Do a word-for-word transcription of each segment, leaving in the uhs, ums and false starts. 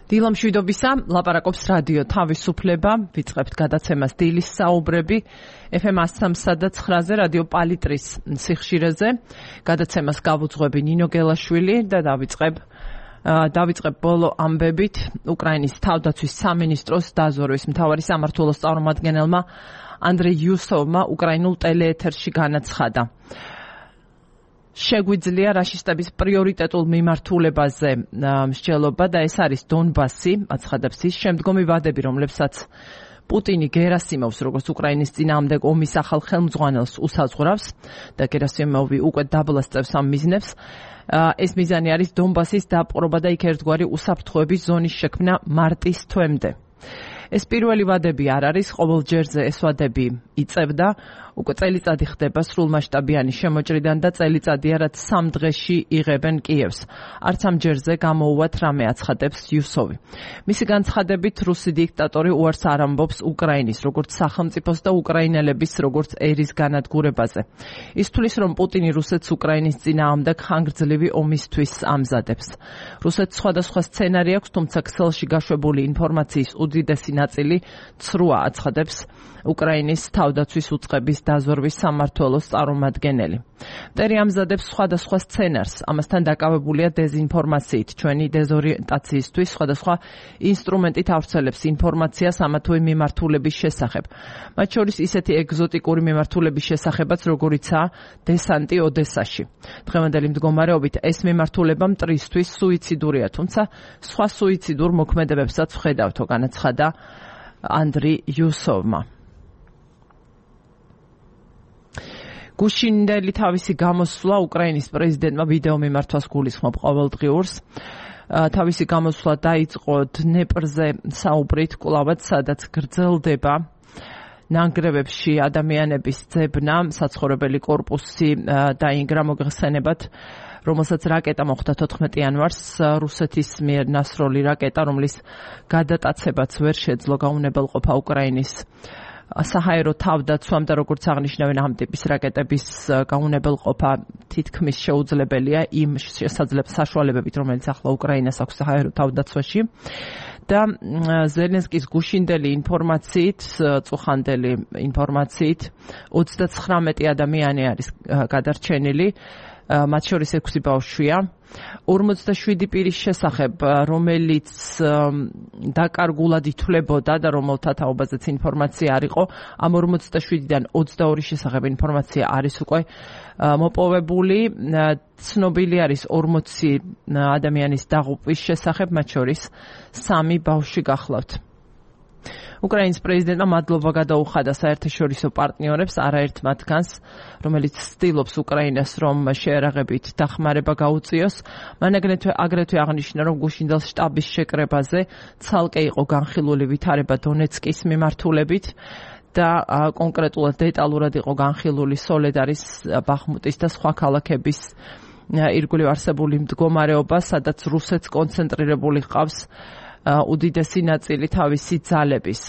დილა მშვიდობისა, ლაპარაკობს რადიო თავისუფლება, ვიწყებთ გადაცემას დილის საუბრები, ეფ ემ one oh three და nine-ზე რადიო პალიტრის სიხშირეზე, გადაცემას გავუძღვები ნინო გელაშვილი და დავიწყებ დავიწყებ ბოლო ამბებით უკრაინის თავდაცვის სამინისტროს დაზვერვის მთავარი სამმართველოს წარმომადგენელმა ანდრეი იუსოვმა უკრაინულ ტელეეთერში განაცხადა. შეგვიძლია რაშისტების პრიორიტეტულ მიმართულებაზე მსჯელობა და ეს არის დონბასი, აცხადებს ის, შემდგომი ვადები, რომლებსაც პუტინი გერასიმოვს, როგორც უკრაინის წინააღმდეგ ომის ახალ ხელმძღვანელს უსაზღვრავს და გერასიმოვი უკვე დაბლასწევს ამ მიზნებს. ეს მიზანი არის დონბასის დაპყრობა და იქ ერთგვარი უსაფრთხოების ზონის შექმნა მარტის თვემდე. ეს პირველი ვადები არ არის, ყოველ ჯერზე ეს ვადები იწევდა, უკვე წელიწადი ხდება სრულმასშტაბიანი შემოჭრიდან და წელიწადია, რაც სამ დღეში იღებენ კიევს. არც ამ ჯერზე გამოუვათ რამე, აცხადებს იუსოვი. მისი განცხადებით, რუსი დიქტატორი უარს არ ამბობს უკრაინის, როგორც სახელმწიფოს და უკრაინელების, როგორც ერის განადგურებაზე. ის თვლის, რომ პუტინი რუსეთს უკრაინის წინააღმდეგ ხანგრძლივი ომისთვის ამზადებს. რუსეთს სხვადასხვა სცენარი აქვს, თუმცა ქსელში გაშვებული ინფორმაციის უდიდესი ნაწილი ცრუა, აცხადებს უკრაინის თავდაცვის უწყების დაზვერვის სამმართველოს წარმომადგენელი. მტერი ამზადებს სხვადასხვა სცენარს, ამასთან დაკავებულია დეზინფორმაციით, ჩვენი დეზორიენტაციისთვის სხვადასხვა ინსტრუმენტით ავრცელებს ინფორმაციას ამა თუ იმ მიმართულების შესახებ. მათ შორის ისეთი ეგზოტიკური მიმართულების შესახებაც, როგორიცაა დესანტი ოდესაში. დღევანდელი მდგომარეობით ეს მიმართულება მტრისთვის სუიციდურია, თუმცა სხვა სუიციდურ მოქმედებებსაც ვხედავთო, განაცხადა ანდრეი იუსოვმა. გუშინდელი თავისი გამოსვლა უკრაინის პრეზიდენტმა ვიდეო მიმართვას გულისხმობ ყოველდღიურს. თავისი გამოსვლა დაიწყო დნეპრზე საუბრით, კვლავაც სადაც გრძელდება ნანგრევებში ადამიანების ძებნა, საცხოვრებელი კორპუსი დაინგრა მოგხსენებათ, რომელსაც რაკეტა მოხვდა თოთხმეტი იანვარს, რუსეთის მიერ ნასროლი რაკეტა, რომლის გადატაცებაც ვერ შეძლო გაუნებელყოფა უკრაინის საჰაერო თავდაცვამ და როგორც აღნიშნავენ ამ ტიპის რაკეტების გაუნებელყოფა თითქმის შეუძლებელია იმ საშუალებებით, რომელიც ახლა უკრაინას აქვს საჰაერო თავდაცვაში. და ზელენსკის გუშინდელი ინფორმაციით, წუხანდელი ინფორმაციით, ოცდაცხრამეტი ადამიანი არის გადარჩენილი, მათ შორის ექვსი ბავშვია. ორმოცდაშვიდი პირის შესახებ, რომელიც დაკარგულად ითვლებოდა და რომელთა თაობაზეც ინფორმაცია არ იყო, ამ ორმოცდაშვიდიდან ოცდაორი შესახებ ინფორმაცია არის უკვე მოპოვებული. ცნობილი არის ორმოცი ადამიანის დაღუპვის შესახებ, მათ შორის სამი ბავშვი გახლავთ. უკრაინის პრეზიდენტმა მადლობა გადაუხადა საერთაშორისო პარტნიორებს, არაერთ მათგანს, რომელიც ცდილობს უკრაინას, რომ შეერაღებით დახმარება გაუწიოს. მან აგრეთვე აღნიშნა, რომ გუშინდელ შტაბის შეკრებაზე ცალკე იყო განხილული ვითარება დონეცკის მიმართულებით და კონკრეტულად დეტალურად იყო განხილული სოლედარის, ბახმუტის და სხვა ქალაქების ირგვლივ არსებული მდგომარეობა, სადაც რუსეთს კონცენტრირებული ჰყავს უდიდესი ნაწილი თავისი ძალების.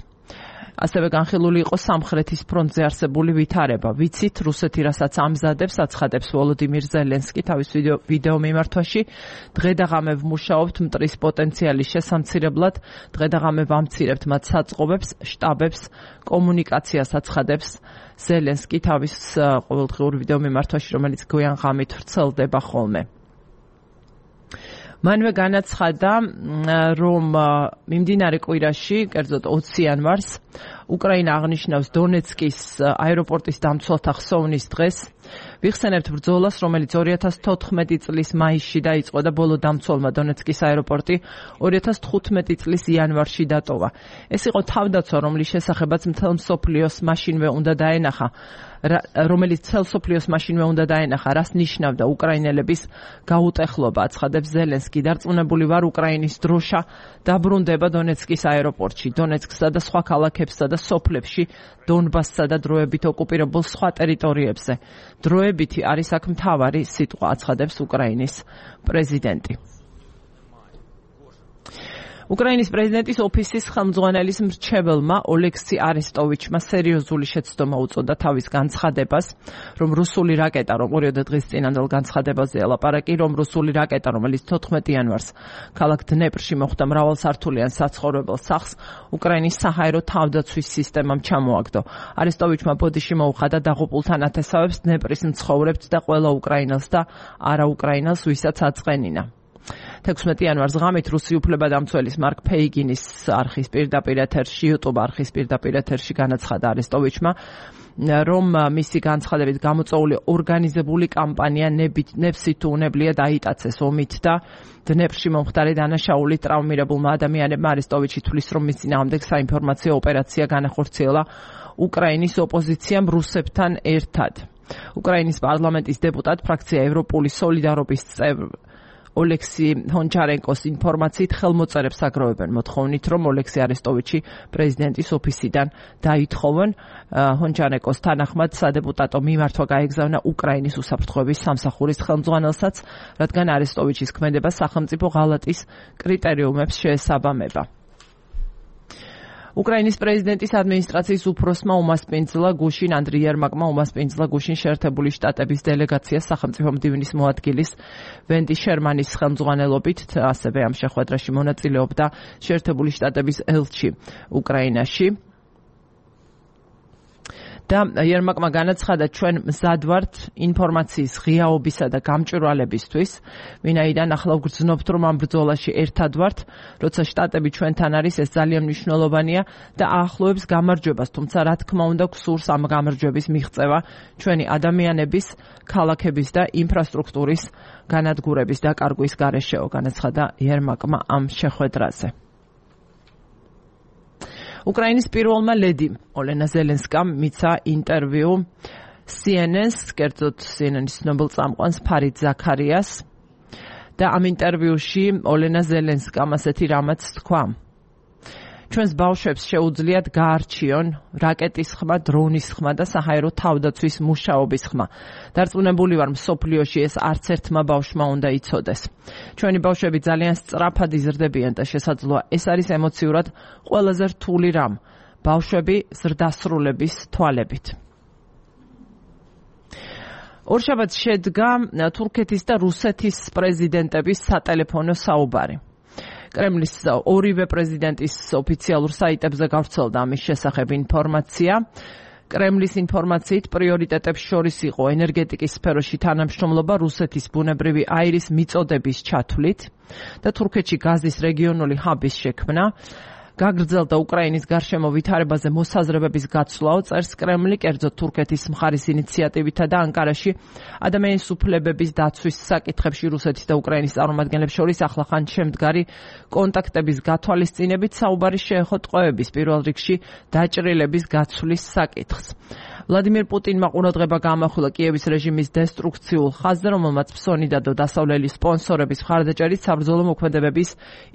ასევე განხილული იყო სამხრეთის ფრონტზე არსებული ვითარება. ვიცით, რუსეთი რასაც ამზადებს, აცხადებს ვოლოდიმირ ზელენსკი თავის ვიდეო მიმართვაში. დღე და ღამე ვმუშაობთ მტრის პოტენციალის შესამცირებლად, დღე და ღამე ვამცირებთ მათ საწყობებს, შტაბებს, კომუნიკაციას, აცხადებს ზელენსკი თავის ყოველდღიურ ვიდეო მიმართვაში, რომელიც გვიან ღამით ვრცელდება ხოლმე. მანვე განაცხადა, რომ მიმდინარე კვირაში, კერძოდ ოცი იანვარს, უკრაინა აღნიშნავს დონეცკის აეროპორტის დამცველთა ხსოვნის დღეს. ვიხსენებთ ბრძოლას, რომელიც ორი ათას თოთხმეტი წლის მაისში დაიწყო და ბოლო დამცველმა დონეცკის აეროპორტი ორი ათას თხუთმეტი წლის იანვარში დატოვა. ეს იყო თავდაცვა, რომლის შესახებაც მთელ მსოფლიოს მაშინვე უნდა დაენახა, რომელიც მთელ მსოფლიოს მაშინვე უნდა დაენახა, რას ნიშნავდა უკრაინელების გაუტეხლობა, აცხადებს ზელენსკი. დარწმუნებული ვარ, უკრაინის დროშა დაბრუნდება დონეცკის აეროპორტში, დონეცკსა და სხვა ქალაქებსა და სოფლებში, დონბასსა და დროებით ოკუპირებულ სხვა ტერიტორიებზე. დროებითი არის აქ მთავარი სიტყვა, აცხადებს უკრაინის პრეზიდენტი. უკრაინის პრეზიდენტის ოფისის ხელმძღვანელის მრჩეველმა ოლექსი არესტოვიჩმა სერიოზული შეცდომა უწოდა თავის განცხადებას, რომ რუსული რაკეტა, რომ ორიოდე დღის წინანდელ განცხადებაზე ელაპარაკი, რომ რუსული რაკეტა, რომელიც თოთხმეტი იანვარს ქალაქ დნეპრში მოხვდა მრავალსართულიან საცხოვრებელ სახლს, უკრაინის საჰაერო თავდაცვის სისტემამ ჩამოაგდო. არესტოვიჩმა ბოდიში მოუხადა დაღუპულთა ნათესავებს, დნეპრის მცხოვრებთ და ყველა უკრაინელს და არაუკრაინელს, ვისაც აწყენინა. თექვსმეტი იანვარს ღამით რუსი უფლებადამცველის მარკ ფეიგინის არხის პირდაპირ ეთერში, YouTube არხის პირდაპირ ეთერში განაცხადა არესტოვიჩმა, რომ მისი განცხადებით გამოწვეული ორგანიზებული კამპანია ნებსით თუ უნებლიე დაიტაცეს ომით და დნეპრში მომხდარი დანაშაულით ტრავმირებულმა ადამიანებმა. არესტოვიჩი თვლის, რომ მის წინააღმდეგ საინფორმაციო ოპერაცია განახორციელა უკრაინის ოპოზიციამ რუსებთან ერთად. უკრაინის პარლამენტის დეპუტატ, ფრაქცია ევროპული სოლიდარობის წევრი ოლექსი ჰონჩარენკოს ინფორმაციით ხელმოწერებს აგროვებენ მოთხოვნით, რომ ოლექსი არესტოვიჩი პრეზიდენტის ოფისიდან დაითხოვონ. ჰონჩარენკოს თანახმად სადეპუტატო მიმართვა გაეგზავნა უკრაინის უსაფრთხოების სამსახურის ხელმძღვანელსაც, რადგან არესტოვიჩის ქმედება სახელმწიფო ღალატის კრიტერიუმებს შეესაბამება. უკრაინის პრეზიდენტის ადმინისტრაციის უფროსმა უმასპინძლა გუშინ ანდრიი ერმაკმა უმასპინძლა გუშინ შეერთებული შტატების დელეგაციას სახელმწიფო მდივნის მოადგილის ვენდი შერმანის ხელმძღვანელობით, ასევე ამ შეხვედრაში მონაწილეობდა შეერთებული შტატების ელჩი უკრაინაში. და ერმაკმა განაცხადა, ჩვენ მზად ვართ ინფორმაციის ღიაობისა და გამჭვირვალებისთვის, ვინაიდან ახლა ვგრძნობთ, რომ ამ ბრძოლაში ერთად ვართ, როცა შტატები ჩვენთან არის, ეს ძალიან მნიშვნელოვანია და აახლოებს გამარჯვებას, თუმცა რა თქმა უნდა გვსურს ამ გამარჯვების მიღწევა ჩვენი ადამიანების, ქალაქების და ინფრასტრუქტურის განადგურების დაკარგვის გარეშეო, განაცხადა ერმაკმა ამ შეხვედრაზე. უკრაინის პირველმა ლედიმ ოლენა ზელენსკამ მიცა ინტერვიუ C N N-ს, კერძოდ C N N-ის ცნობილ წამყვანს ფარიდ ზაქარიას და ამ ინტერვიუში ოლენა ზელენსკამ ასეთი რამაც თქვა. ჩვენს ბავშვებს შეუძლიათ გაარჩიონ რაკეტის ხმა, დრონის ხმა და საჰაერო თავდაცვის მუშაობის ხმა. დარწმუნებული ვარ, მსოფლიოში ეს არც ერთმა ბავშვმა უნდა იცოდეს. ჩვენი ბავშვები ძალიან სწრაფად იზრდებიან და შესაძლოა ეს არის ემოციურად ყველაზე რთული რამ. ბავშვები ზრდასრულების თვალებით. ორშაბათს შედგა თურქეთის და რუსეთის პრეზიდენტების სატელეფონო საუბარი. კრემლის ორივე პრეზიდენტის ოფიციალურ საიტებზე გავრცელდა ამის შესახებ ინფორმაცია. კრემლის ინფორმაციით პრიორიტეტებს შორის იყო ენერგეტიკის სფეროში თანამშრომლობა რუსეთის ბუნებრივი აირის მიწოდების ჩათვლით და თურქეთში გაზის რეგიონული ჰაბის შექმნა. გაგრძელდა უკრაინის გარშემო ვითარებაზე მოსაზრებების გაცვლაო, წერს კრემლი, კერძოდ თურქეთის მხარის ინიციატივითა და ანკარაში ადამიანის უფლებების დაცვის საკითხებში რუსეთის და უკრაინის წარმომადგენლებს შორის ახლახან შემდგარი კონტაქტების გათვალისწინებით საუბარი შეეხო ტყვეების, პირველ რიგში დაჭრილების გაცვლის საკითხს. ვლადიმირ პუტინმა ყურადღება გაამახვილა კიევის რეჟიმის დესტრუქციულ ხაზზე, რომელმაც ფსონი დადო დასავლელი სპონსორების მხარდაჭერით საბრძოლო მოქმედებების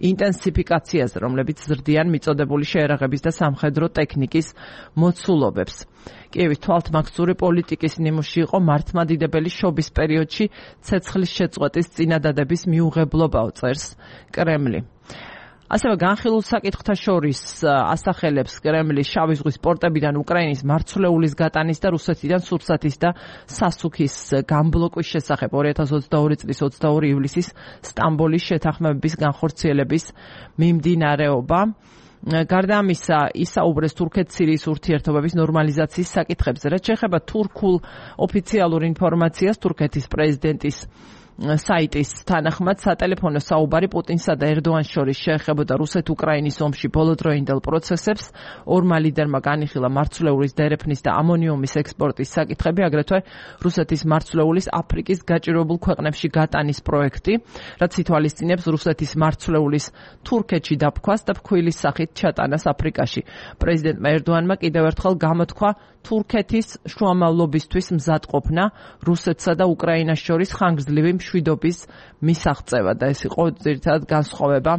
ინტენსიფიკაციაზე, რომლებიც ზრდიან მიწოდებული შეერაღების და სამხედრო ტექნიკის მოცულობებს. კიევის თვალთმაგზური პოლიტიკის ნიმუში იყო მართლმადიდებელი შობის პერიოდში ცეცხლის შეწყვეტის წინადადების მიუღებლობაო, წერს კრემლი. ასევე განხილულ საკითხთა შორის ასახელებს კრემლი შავი ზღვის პორტებიდან უკრაინის მარცვლეულის გატანის და რუსეთიდან სურსათის და სასუქის გამბლოკვის შესახებ ორი ათას ოცდაორი წლის ოცდაორი ივლისის სტამბოლის შეთანხმებების განხორციელების მიმდინარეობა. გარდა ამისა, ისაუბრეს თურქეთ-სირიის ურთიერთობების ნორმალიზაციის საკითხებზე. რაც შეეხება თურქულ ოფიციალურ ინფორმაციას, თურქეთის პრეზიდენტის საიტის თანახმად სატელეფონო საუბარი პუტინსა და ერდოანის შორის შეეხებოდა რუსეთ-უკრაინის ომში ბოლოდროინდელ პროცესებს. ორმა ლიდერმა განიხილა მარცვლეულის დერეფნის და ამონიუმის ექსპორტის საკითხები, აგრეთვე რუსეთის მარცვლეულის აფრიკის გაჭირვებულ ქვეყნებში გატანის პროექტი, რაც ითვალისწინებს რუსეთის მარცვლეულის თურქეთში დაფქვას და ფქვილის სახით ჩატანას აფრიკაში. პრეზიდენტმა ერდოანმა კიდევ ერთხელ გამოთქვა თურქეთის შუამავლობისთვის მზადყოფნა რუსეთსა და უკრაინას შორის ხანგრძლივი მშვიდობის მისაღწევა და ეს იყო ძირითადად განსხვავება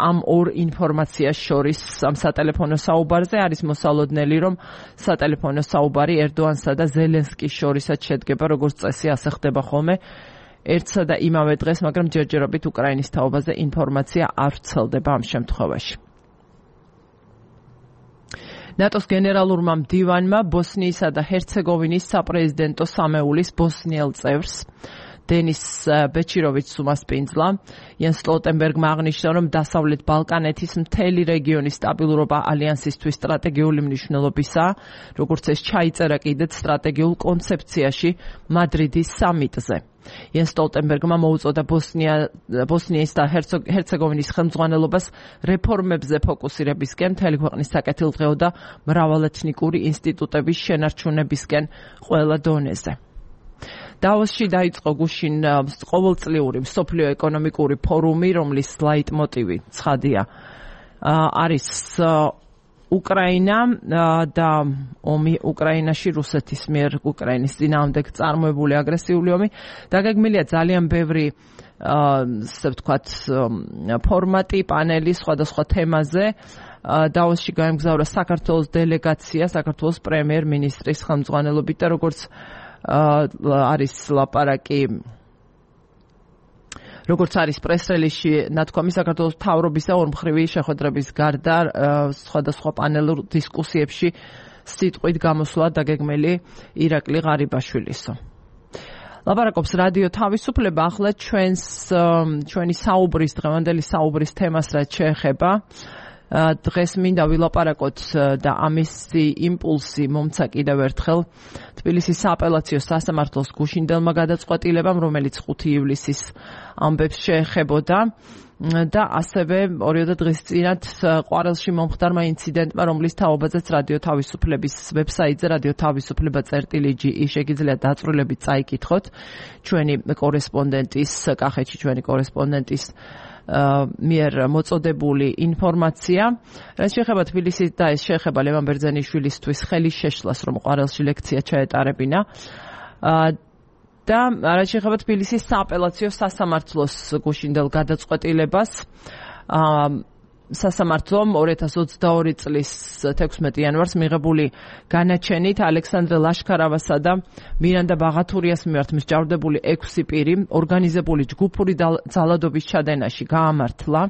ამ ორ ინფორმაციას შორის. ამ სატელეფონო საუბარზე არის მოსალოდნელი, რომ სატელეფონო საუბარი ერდოანსა და ზელენსკის შორისაც შედგება, როგორც წესი ასე ხდება ხოლმე ერთსა და იმავე დღეს, მაგრამ ჯერჯერობით უკრაინის თაობაზე ინფორმაცია არ ვრცელდება ამ შემთხვევაში. ნატოს გენერალურმა მდივანმა ბოსნიისა და ჰერცეგოვინის საპრეზიდენტო სამეულის ბოსნიელ წევრს დენის ბეჩიროვიჩს უმასპინძლა. იან სტოლტენბერგმა აღნიშნა, რომ დასავლეთ ბალკანეთის მთელი რეგიონის სტაბილურობა ალიანსისთვის სტრატეგიული მნიშვნელობისაა, როგორც ეს ჩაიწერა კიდეც სტრატეგიულ კონცეფციაში მადრიდის სამიტზე. იან სტოლტენბერგმა მოუწოდა ბოსნია, ბოსნიის და ჰერცეგოვინის ხელმძღვანელობას რეფორმებზე ფოკუსირებისკენ, მთელი ქვეყნის საკეთილდღეო და მრავალეთნიკური ინსტიტუტების შენარჩუნებისკენ ყველა დონეზე. დავოსში დაიწყო გუშინ ყოველწლიური მსოფლიო ეკონომიკური ფორუმი, რომლის ლაიტმოტივი ცხადია არის უკრაინა და ომი უკრაინაში რუსეთის მიერ უკრაინის წინააღმდეგ წარმოებული აგრესიული ომი. დაგეგმილია ძალიან ბევრი ასე ვთქვათ ფორმატი, პანელი სხვადასხვა თემაზე. დავოსში გაემგზავრა საქართველოს დელეგაცია, საქართველოს პრემიერ-მინისტრის ხელმძღვანელობით და როგორც არის ლაპარაკი როგორც არის პრეს-რელიზში ნათქვამი, საქართველოს მთავრობის და ორმხრივი შეხვედრების გარდა სხვადასხვა პანელურ დისკუსიებში სიტყვით გამოსვლა დაგეგმილი ირაკლი ღარიბაშვილისო. ლაპარაკობს რადიო თავისუფლება. ახლა ჩვენს ჩვენი საუბრის დღევანდელი საუბრის თემას რაც შეეხება, დღეს მინდა ვილაპარაკოთ და ამისი იმპულსი მომცა კიდევ ერთხელ თბილისის სააპელაციო სასამართლოს გუშინდელმა გადაწყვეტილებამ, რომელიც ხუთი ივლისის ამბებს შეეხებოდა და ასევე ორიოდე დღის წინათ ყვარელში მომხდარმა ინციდენტმა, რომლის თაობაზეც რადიო თავისუფლების ვებსაიტზე რადიო თავისუფლება წერტილი ჯი ი შეგიძლიათ დაწვრილებით წაიკითხოთ ჩვენი კორესპონდენტის კახეთში ჩვენი კორესპონდენტის მიერ მოწოდებული ინფორმაცია. რაც შეეხება თბილისის და ეს შეეხება ლევან ბერძენიშვილისთვის ხელის შეშლას, რომ ყვარელში ლექცია ჩაეტარებინა. და რაც შეეხება თბილისის სააპელაციო სასამართლოს გუშინდელ გადაწყვეტილებას, სასამართლომ ორი ათას ოცდაორი წლის თექვსმეტი იანვარს მიღებული განაჩენით ალექსანდრე ლაშქარავასა და მირანდა ბაღათურიას მიმართ მსჯავრდებული ექვსი პირი ორგანიზებული ჯგუფური ძალადობის ჩადენაში გაამართლა.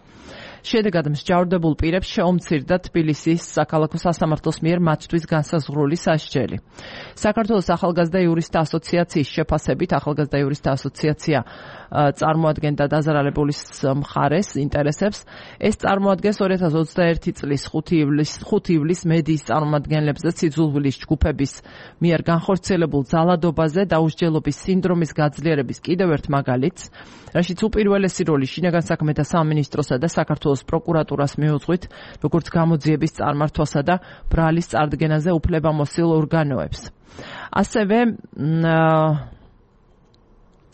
შედეგად მსჯავრდებულ პირებს შეუმცირდა თბილისის საქალაქო სასამართლოს მიერ მათთვის განსაზღვრული სასჯელი. საქართველოს ახალგაზრდა იურისტთა ასოციაციის შეფასებით, ახალგაზრდა იურისტთა ასოციაცია წარმოადგენდა დაზარალებულის მხარეს ინტერესებს. ეს წარმოადგენს ორი ათას ოცდაერთი წლის ხუთი ივლისს მედიის წარმომადგენლებზე სიძულვილის ჯგუფების მიერ განხორციელებულ ძალადობაზე დაუსჯელობის სინდრომის გაძლიერების კიდევ ერთ მაგალითს, რაშიც უპირველესი როლი შინაგან საქმეთა სამინისტროსა და საქართველოს პროკურატურას მიუძღვით, როგორც გამოძიების წარმართვასა და ბრალის წარდგენაზე უფლებამოსილ ორგანოებს. ასევე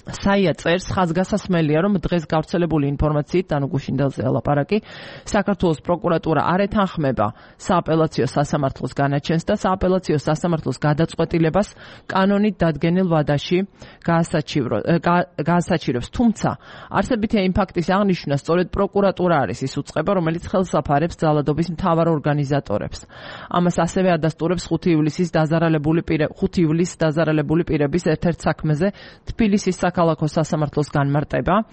საია წერს, ხაზგასასმელია, რომ დღეს გავრცელებული ინფორმაციით, ანუ გუშინდელზე ლაპარაკი, საქართველოს პროკურატურა არ ეთანხმება სააპელაციო სასამართლოს განაჩენს და სააპელაციო სასამართლოს გადაწყვეტილებას კანონით დადგენილ ვადაში გაასაჩივრებს. თუმცა, არსებითია იმ ფაქტის აღნიშვნა, სწორედ პროკურატურა არის ის უწყება, რომელიც ხელს აფარებს ძალადობის მთავარ ორგანიზატორებს. ამას ასევე ადასტურებს ხუთი ივლისის დაზარალებული ხუთი ივლისს დაზარალებული პირების ერთ-ერთ საქმეზე თბილისის ქალაქო სასამართლოს განმარტება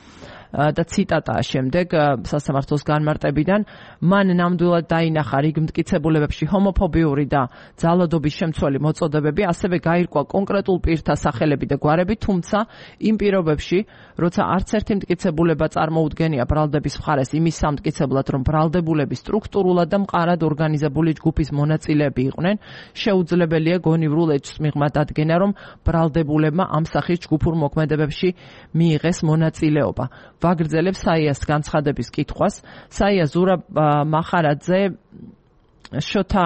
და ციტატაა შემდეგ სასამართლოს განმარტებიდან, მან ნამდვილად დაინახა რიგ მტკიცებულებებში ჰომოფობიური და ძალადობის შემცველი მოწოდებები, ასევე გაირკვა კონკრეტულ პირთა სახელები და გვარები, თუმცა იმ პირობებში, როცა არც ერთი მტკიცებულება წარმოუდგენია ბრალდების მხარეს იმის სამტკიცებლად, რომ ბრალდებულები სტრუქტურულად და მყარად ორგანიზებული ჯგუფის მონაწილეები იყვნენ, შეუძლებელია გონივრულ ეჭვს მიღმა დადგენა, რომ ბრალდებულებმა ამ სახის ჯგუფურ მოქმედებებში მიიღეს მონაწილეობა. ვაგრძელებს საიას განცხადების კითხვას. საია ზურაბ მახარაძე შოთა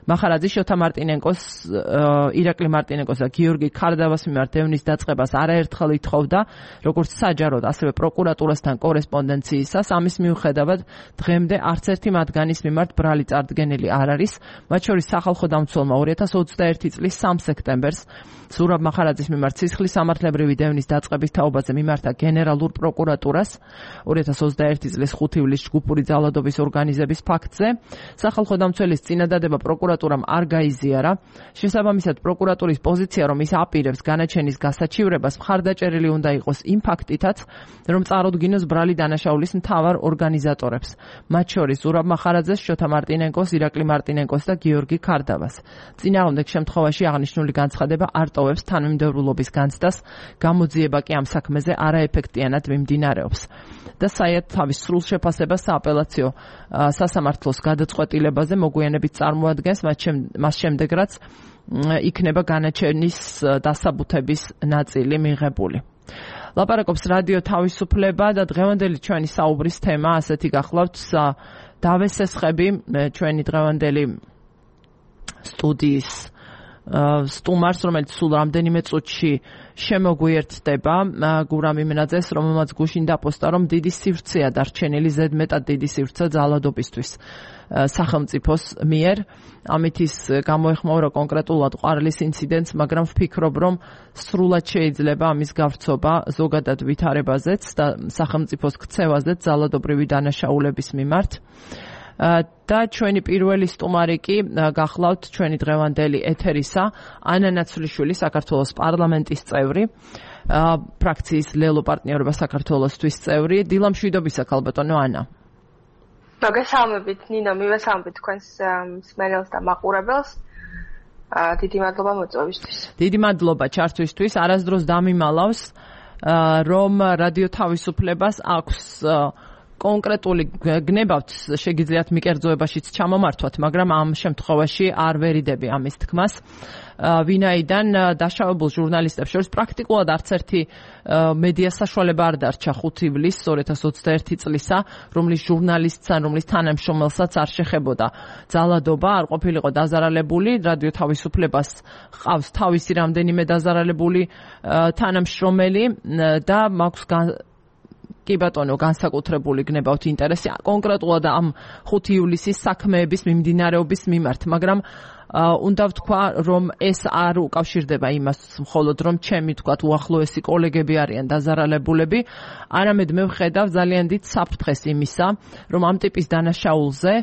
მახარაძე შოთა მარტინენკოს, ირაკლი მარტინენკოს და გიორგი ქარდავას მიმართ დევნის დაწყებას არაერთხელ ითხოვდა, როგორც საჯაროდ, ასევე პროკურატურასთან კორესპონდენციისას. ამის მიუხედავად, დღემდე არც ერთი მათგანის მიმართ ბრალი წარდგენილი არ არის. მათ შორის სახალხო დამცველმა ორი ათას ოცდაერთი წლის სამ სექტემბერს ზურაბ მახარაძის მიმართ სისხლის სამართლებრივი დევნის დაწყების თაობაზე მიმართა გენერალურ პროკურატურას ორი ათას ოცდაერთი წლის ხუთი ივლისს ჯგუფური ძალადობის ორგანიზების ფაქტზე. სახალხო დამცველის წინადადება პროკურატურას პროკურატურამ არ გაიზიარა. შესაბამისად, პროკურატურის პოზიცია, რომ ის აპირებს განაჩენის გასაჩივრებას, მხარდაჭერილი უნდა იყოს იმ ფაქტითაც, რომ წარუდგინოს ბრალი დანაშაულის მთავარ ორგანიზატორებს, მათ შორის ზურაბ მახარაძეს, შოთა მარტინენკოს, ირაკლი მარტინენკოს და გიორგი ქარდავას. წინააღმდეგ შემთხვევაში აღნიშნული განცხადება არ ტოვებს თანმიმდევრულობის განცდას, გამოძიება კი ამ საქმეზე არაეფექტიანად მიმდინარეობს. და საერთოდ თავის სრულ შეფასებას სააპელაციო სასამართლოს გადაწყვეტილებაზე მოგვიანებით წარმოადგენს, მას შემდეგ რაც იქნება განაჩენის დასაბუთების ნაწილი მიღებული. ლაპარაკობს რადიო თავისუფლება და დღევანდელი ჩვენი საუბრის თემა ასეთი გახლავთ დავესესხები ჩვენი დღევანდელი სტუდიის სტუმარს, რომელიც სულ რამდენიმე წუთში შემოგვიერთდება, გურამ იმენაძეს, რომელმაც გუშინ დაპოსტა, რომ დიდი სივრცეა დარჩენილი, ზედმეტად დიდი სივრცე ძალადობისთვის სახელმწიფოს მიერ. ამით ის გამოეხმაურა კონკრეტულად ყვარლის ინციდენტს, მაგრამ ვფიქრობ, რომ სრულად შეიძლება ამის გავრცობა ზოგადად ვითარებაზეც და სახელმწიფოს ქცევაზეც ძალადობრივი დანაშაულების მიმართ. და ჩვენი პირველი სტუმარი კი გახლავთ ჩვენი დღევანდელი ეთერისა, ანა ნაცვლიშვილი, საქართველოს პარლამენტის წევრი, ფრაქციის ლელო პარტნიორობა საქართველოსთვის წევრი. დილა მშვიდობისა, ქალბატონო ანა. მოგესალმებით, ნინო, მივესალმებით თქვენს მსმენელს და მაყურებელს. დიდი მადლობა მოწვევისთვის. დიდი მადლობა ჩართვისთვის. არასდროს დამიმალავს, რომ რადიო თავისუფლებას აქვს კონკრეტული გნებავთ, შეგიძლიათ მიკერძოებაშიც ჩამომართვათ, მაგრამ ამ შემთხვევაში არ ვერიდები ამის თქმას. ვინაიდან დაშავებულ ჟურნალისტებს შორის პრაქტიკულად არც ერთი მედია საშუალება არ დარჩა ხუთი ივლისს ორი ათას ოცდაერთი წლისა, რომლის ჟურნალისტს ან რომლის თანამშრომელსაც არ შეხებოდა ძალადობა, არ ყოფილიყო დაზარალებული. რადიო თავისუფლებას ყავს თავისი რამდენიმე დაზარალებული თანამშრომელი და მაქვს კი ბატონო, განსაკუთრებული გნებავთ ინტერესი კონკრეტულად ამ ხუთი ივლისის საქმეების მიმდინარეობის მიმართ, მაგრამ უნდა ვთქვა, რომ ეს არ უკავშირდება იმას მხოლოდ, რომ ჩემი თქვათ უახლოესი კოლეგები არიან დაზარალებულები, არამედ მე ვხედავ ძალიან დიდ საფრთხეს იმისა, რომ ამ ტიპის დანაშაულზე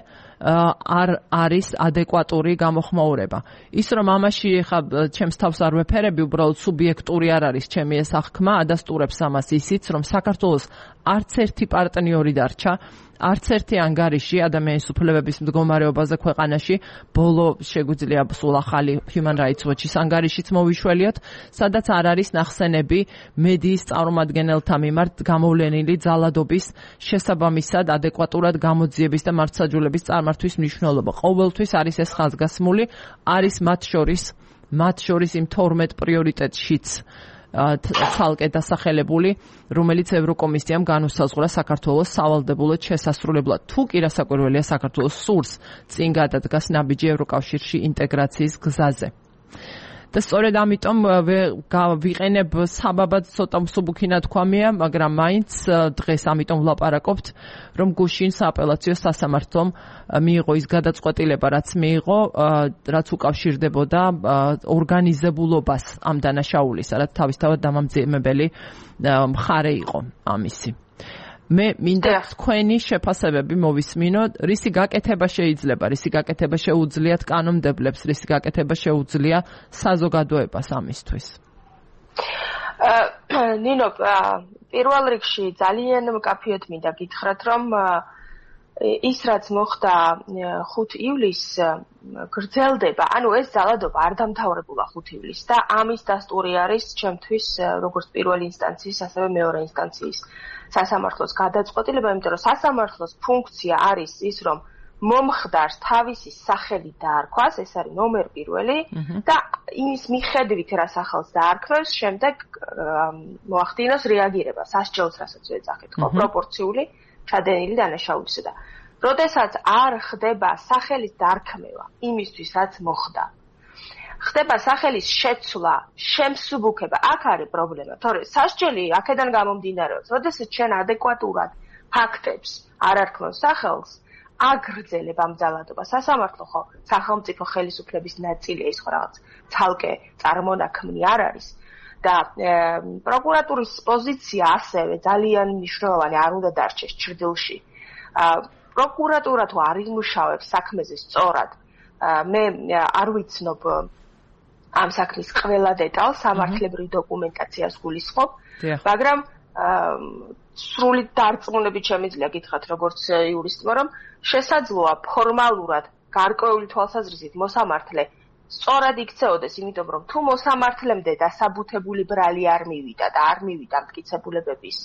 არ არის ადეკვატური გამოხმაურება. ის რომ ამაში ხა ჩემს თავს არ ვეფერები, უბრალოდ სუბიექტური არ არის ჩემი ეს აღქმა, ადასტურებს ამას ისიც, რომ საქართველოს არც ერთი პარტნიორი დარჩა, არც ერთი ანგარიში ადამიანის უფლებების მდგომარეობაზე ქვეყანაში, ბოლო შეგვიძლია სულ ახალი Human Rights Watch-ის ანგარიშიც მოვიშველიოთ, სადაც არ არის ნახსენები მედიის წარმომადგენელთა მიმართ გამოვლენილი ძალადობის შესაბამისად ადეკვატურად გამოძიების და მართლმსაჯულების წარმართვის მნიშვნელობა. ყოველთვის არის ეს ხაზგასმული, არის მათ შორის, მათ შორის იმ თორმეტ პრიორიტეტშიც ცალკე დასახელებული, რომელიც ევროკომისიამ განუსაზღვრა საქართველოს სავალდებულოდ შესასრულებლად. თუ კი რასაკვირველია საქართველოს სურს წინ გადადგას ნაბიჯი ევროკავშირში ინტეგრაციის გზაზე. და სწორედ ამიტომ ვიყენებ საბაბად ცოტა მსუბუქი ნათქვამია, მაგრამ მაინც დღეს ამიტომ ვლაპარაკობთ, რომ გუშინ სააპელაციო სასამართლომ მიიღო ის გადაწყვეტილება, რაც მიიღო, რაც უკავშირდებოდა ორგანიზებულობას ამ დანაშაულისა, რაც თავისთავად დამამძიმებელი მხარე იყო ამისი. მე მინდა თქვენი შეფასებები მოვისმინო, რისი გაკეთება შეიძლება, რისი გაკეთება შეუძლიათ კანონმდებლებს, რისი გაკეთება შეუძლია საზოგადოებას ამისთვის. ნინო, პირველ რიგში ძალიან მკაფიოდ მინდა გითხრათ, რომ ის რაც მოხდა ხუთი ივლისს გრძელდება, ანუ ეს ძალადობა არ დამთავრებულა ხუთი ივლისს და ამის დასტური არის ჩემთვის როგორც პირველი ინსტანციის, ასევე მეორე ინსტანციის სასამართლოს გადაწყვეტილება, იმიტომ რომ სასამართლოს ფუნქცია არის ის, რომ მომხდარს თავისი სახელი დაარქვას, ეს არის ნომერ პირველი და იმის მიხედვით რა სახელს დაარქმევს, შემდეგ მოახდინოს რეაგირება სასჯელს, რასაც ეძახით, ხო, პროპორციული ჩადენილი დანაშაულისა და როდესაც არ ხდება სახელის დარქმევა იმისთვის, რაც მოხდა, ხდება სახელის შეცვლა, შემსუბუქება, აქ არის პრობლემა, თორე სასჯელი აქედან გამომდინარეობს, როდესაც ჩვენ ადეკვატურად ფაქტებს არ არქმევს სახელს, აგრძელებ ამ ძალადობას. სასამართლო ხო სახელმწიფო ხელისუფლების ნაწილია, ის ხო რაღაც ცალკე წარმონაქმნი არ არის და პროკურატურის პოზიცია ასევე ძალიან მნიშვნელოვანი არ უნდა დარჩეს ჭრდილში. პროკურატურა თუ არ იმუშავებს საქმეზე სწორად, მე არ ვიცნობ ამ საქმის ყველა დეტალს, სამართლებრივ დოკუმენტაციას გულისხმობ, მაგრამ სრული დარწმუნებით შემიძლია გითხრათ როგორც იურისტმა, რომ შესაძლოა ფორმალურად გარკვეული თვალსაზრისით მოსამართლე სწორად იქცეოდეს, იმიტომ რომ თუ მოსამართლემდე დასაბუთებული ბრალი არ მივიდა და არ მივიდა მტკიცებულებების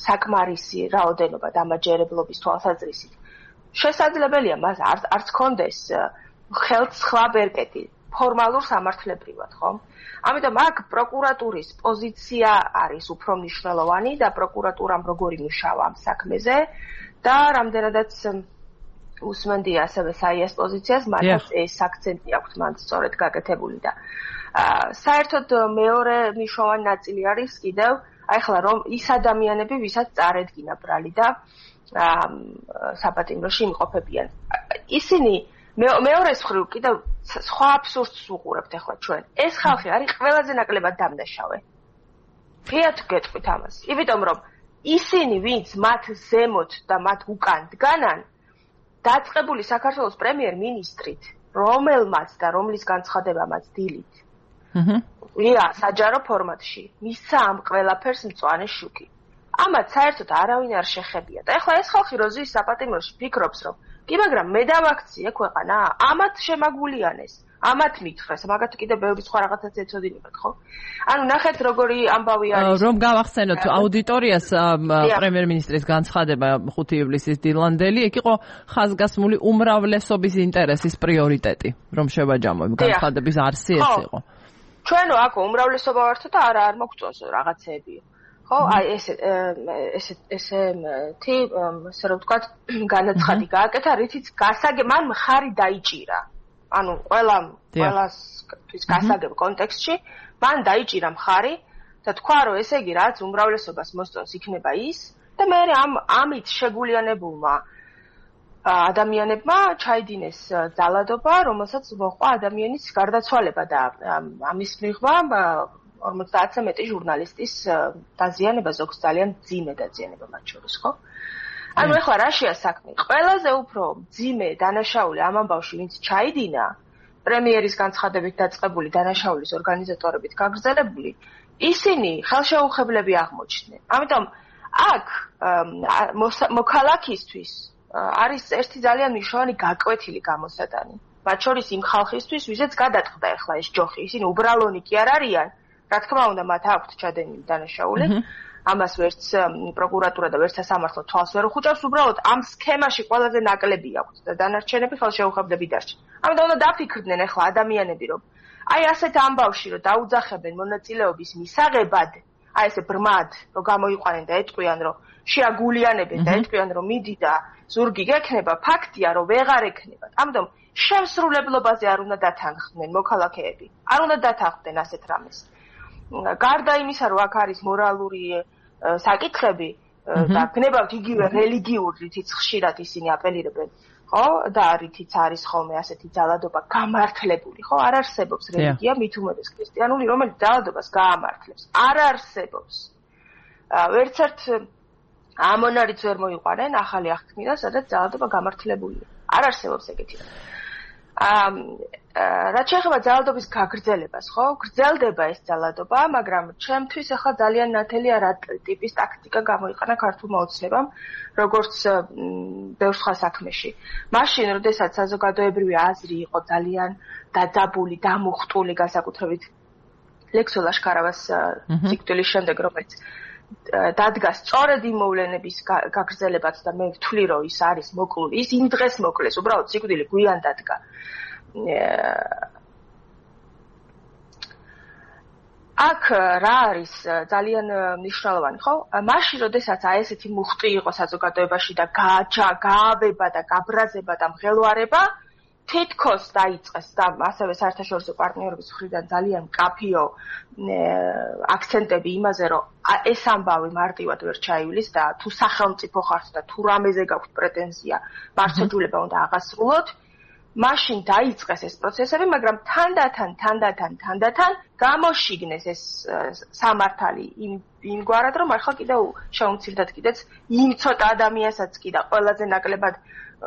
საკმარისი რაოდენობა დამაჯერებლობის თვალსაზრისით, შესაძლებელია მას არც კონდეს ხელთ სხვა ბერკეტი ფორმალურ სამართლებრივად, ხო? ამიტომ აქ პროკურატურის პოზიცია არის უფრო მნიშვნელოვანი და პროკურატურამ როგორი მუშავა ამ საქმეზე და რამდენადაც უსმენდია ასევე საიას პოზიციას, მათაც ეს აქცენტი აქვს მან სწორედ გაკეთებული და საერთოდ მეორე მნიშვნელოვანი ნაწილი არის კიდევ აი ხლა რომ ის ადამიანები, ვისაც წარედგინა ბრალი და საპატიმროში იმყოფებიან. ისინი მეორეს მხრივ კიდევ სხვა აბსურდს უყურებთ ახლა ჩვენ. ეს ხალხი არის ყველაზე ნაკლებად დამნაშავე. ფიათ გეტყვით ამას. იმიტომ რომ ისინი, ვინც მათ ზემოთ და მათ უკან დგანან, დაწყებული საქართველოს პრემიერ-მინისტრით, რომელმაც და რომლის განცხადებამაც დილით. აჰა. ვია, საჯარო ფორმატში. მისცა ამ ყველაფერს მწვანე შუქი. ამათ საერთოდ არავინ არ შეხებია. და ეხლა ეს ხალხი რო ზის საპატიმროში ფიქრობს, რომ კი, მაგრამ მე დავაქციე ქვეყანა, ამათ შემაგულიანეს, ამათ მითხრეს, მაგათ კიდე ბევრი სხვა რაღაცაც ეცოდინებათ, ხო? ანუ ნახეთ როგორი ამბავი არის. რომ გავახსენოთ აუდიტორიას პრემიერ-მინისტრის განცხადება ხუთი ივლისის დილანდელი, ეგ იყო ხაზგასმული უმრავლესობის ინტერესის პრიორიტეტი, რომ შევაჯამოთ, განცხადების არსი ეს იყო. ჩვენო აქ უმრავლესობა ვართო და არა არ მოგწონს რაღაცეები. ხო, აი ეს ეს ესე თი ასე რომ ვთქვათ, განაცხადი გააკეთა, რითიც გასაგებ მან მხარი დაიჭირა. ანუ ყველა ყველასთვის გასაგებ კონტექსტში მან დაიჭირა მხარი და თქვა, რომ ესე იგი რაც უმრავლესობას მოსწონს იქნება ის და მე ამ ამით შეგულიანებულმა ადამიანებმა ჩაიდინეს ძალადობა, რომელსაც მოყვა ადამიანის გარდაცვალება და ამის მიღმა ორმოცდაათზე მეტი ჟურნალისტის დაზიანება, ზოგს ძალიან მძიმე დაზიანება მათ შორის, ხო? ანუ ეხლა რაშია საქმე? ყველაზე უფრო მძიმე დანაშაული ამ ამბავში, ვინც ჩაიდინა, პრემიერის განცხადებით დაწყებული დანაშაულის ორგანიზატორებით გაგრძელებული, ისინი ხელშეუხებლები აღმოჩნდნენ. ამიტომ აქ მოქალაქისთვის არის ერთი ძალიან მნიშვნელოვანი გაკვეთილი გამოსატანი. მათ შორის იმ ხალხისთვის, ვისაც გადაწყდა ეხლა ეს ჯოხი, ისინი უბრალონი კი არ არიან. რა თქმა უნდა, მათ აქვთ ჩადენილი დანაშაული. ამას ვერც პროკურატურა და ვერც სასამართლო თვალს ვერ უხუჭავს, უბრალოდ ამ სქემაში ყველაზე ნაკლები აქვთ და დანარჩენები ხელშეუხებლები დარჩენ. ამიტომ უნდა დაფიქრდნენ ახლა ადამიანები, რომ აი ასეთ ამბავში რომ დაუძახებენ მონაწილეობის მისაღებად, აი ესე ბრმად, რომ გამოიყვანენ და ეტყვიან, რომ შეაგულიანებენ და ეტყვიან, რომ მიდი და ზურგი გექნება, ფაქტია, რომ ვეღარ ექნებათ. ამიტომ შემსრულებლობაზე არ უნდა დათანხმდნენ მოქალაქეები. არ უნდა დათანხმდნენ ასეთ რამეს. გარდა იმისა, რომ აქ არის მორალური საკითხები და გნებავთ იგივე რელიგიური, რითიც ხშირად ისინი აპელირებენ, ხო? და რითიც არის ხოლმე ასეთი ძალადობა გამართლებული, ხო? არ არსებობს რელიგია, მით უმეტეს ქრისტიანული, რომელიც ძალადობას გაამართლებს. არ არსებობს. ვერც ერთ ამონარიც ვერ მოიყვანენ ახალი აღთქმიდან, სადაც ძალადობა გამართლებულია. არ არსებობს ეგეთი. რაც შეეხება ძალადობის გაგრძელებას, ხო? გრძელდება ეს ძალადობა, მაგრამ ჩემთვის ახლა ძალიან ნათელია რა ტიპის ტაქტიკა გამოიყენა ქართულმა ოცნებამ, როგორც ბევრ სხვა საქმეში. მაშინ, როდესაც საზოგადოებრივი აზრი იყო ძალიან დაძაბული, დამუხტული, განსაკუთრებით ლექსო ლაშქარავას სიკვდილის შემდეგ, რომელიც დადგა სწორედ იმ მოვლენების გაგრძელებაც და მე ვთვლი, რომ ის არის მოკლული, ის იმ დღეს მოკლეს, უბრალოდ სიკვდილი გვიან დადგა. აქ რა არის ძალიან მნიშვნელოვანი, ხო? მაშინ, როდესაც აი ესეთი მუხტი იყო საზოგადოებაში და გააჩა, გაავება და გაბრაზება და მღელვარება, თითქოს დაიწყეს და ასევე საერთაშორისო პარტნიორების მხრიდან ძალიან მკაფიო აქცენტები იმაზე, რომ ეს ამბავი მარტივად ვერ ჩაივლის და თუ სახელმწიფო ხართ და თუ რამეზე გაქვთ პრეტენზია, მართლმსაჯულება უნდა აღასრულოთ. მაშინ დაიწყეს ეს პროცესები, მაგრამ თანდათან, თანდათან, თანდათან გამოშიგნეს ეს სამართალი იმ იმგვარად, რომ ახლა კიდევ შეუმცირდათ კიდეც იმ ცოტა ადამიანსაც კი და ყველაზე ნაკლებად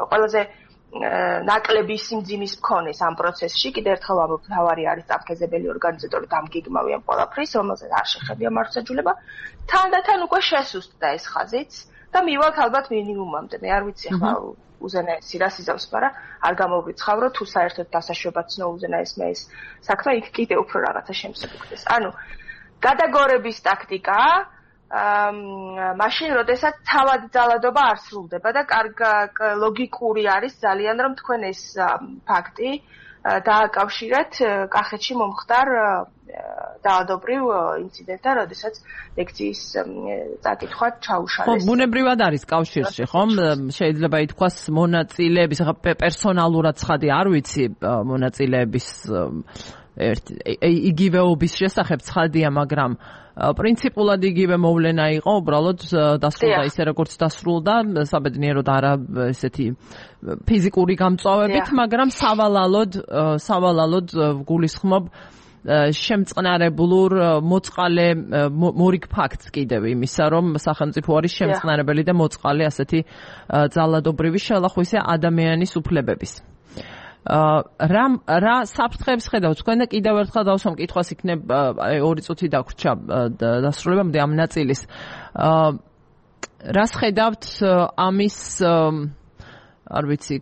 ყველაზე ნაკლები სიმძიმის მქონეს ამ პროცესში, კიდევ ერთხელ ვამბობ, თავარი არის წამქეზებელი ორგანიზატორი დამგიგმავიან ყველაფრის, რომელსაც არ შეხებია მართლმსაჯულება, თანდათან უკვე შესუსტდა ეს ხაზიც და მივალთ ალბათ მინიმუმამდე. მე არ ვიცი ახლა უზენაესი რა სიზავს, მაგრამ არ გამოვრიცხავ, თუ საერთოდ დასაშვებად ცნო უზენაესმა ეს საქმე იქ კიდევ უფრო რაღაცა შემსაგუქდეს. ანუ გადაგორების ტაქტიკა მაშინ, როდესაც თავად ძალადობა არ სრულდება და ლოგიკური არის ძალიან, რომ თქვენ ეს ფაქტი დააკავშირეთ კახეთში მომხდარ დაავადებრივ ინციდენტთან, როდესაც ლექციის წაკითხვა ჩაუშალეს. ხო, ბუნებრივად არის კავშირში, ხომ? შეიძლება ითქვას მონაწილეების, ახლა პერსონალურად ცხადი არ ვიცი მონაწილეების იგივეობის შესახებ ცხადია, მაგრამ პრინციპულად იგივე მოვლენა იყო, უბრალოდ დასრულდა ისე როგორც დასრულდა, საბედნიეროდ არა ესეთი ფიზიკური გამწვავებით, მაგრამ სავალალოდ სავალალოდ გულისხმობ შემწყნარებლურ მოწყალე მორიგ ფაქტს კიდევ იმისა, რომ სახელმწიფო არის შემწყნარებელი და მოწყალე ასეთი ძალადობრივი შელახვისი ადამიანის უფლებების. რა რა საფრთხეებს ხედავთ თქვენ და კიდევ ერთხელ დავსვამ კითხვას, იქნებ ორი წუთი დაგვრჩა დასრულებამდე ამ ნაწილის. რას ხედავთ ამის არ ვიცი,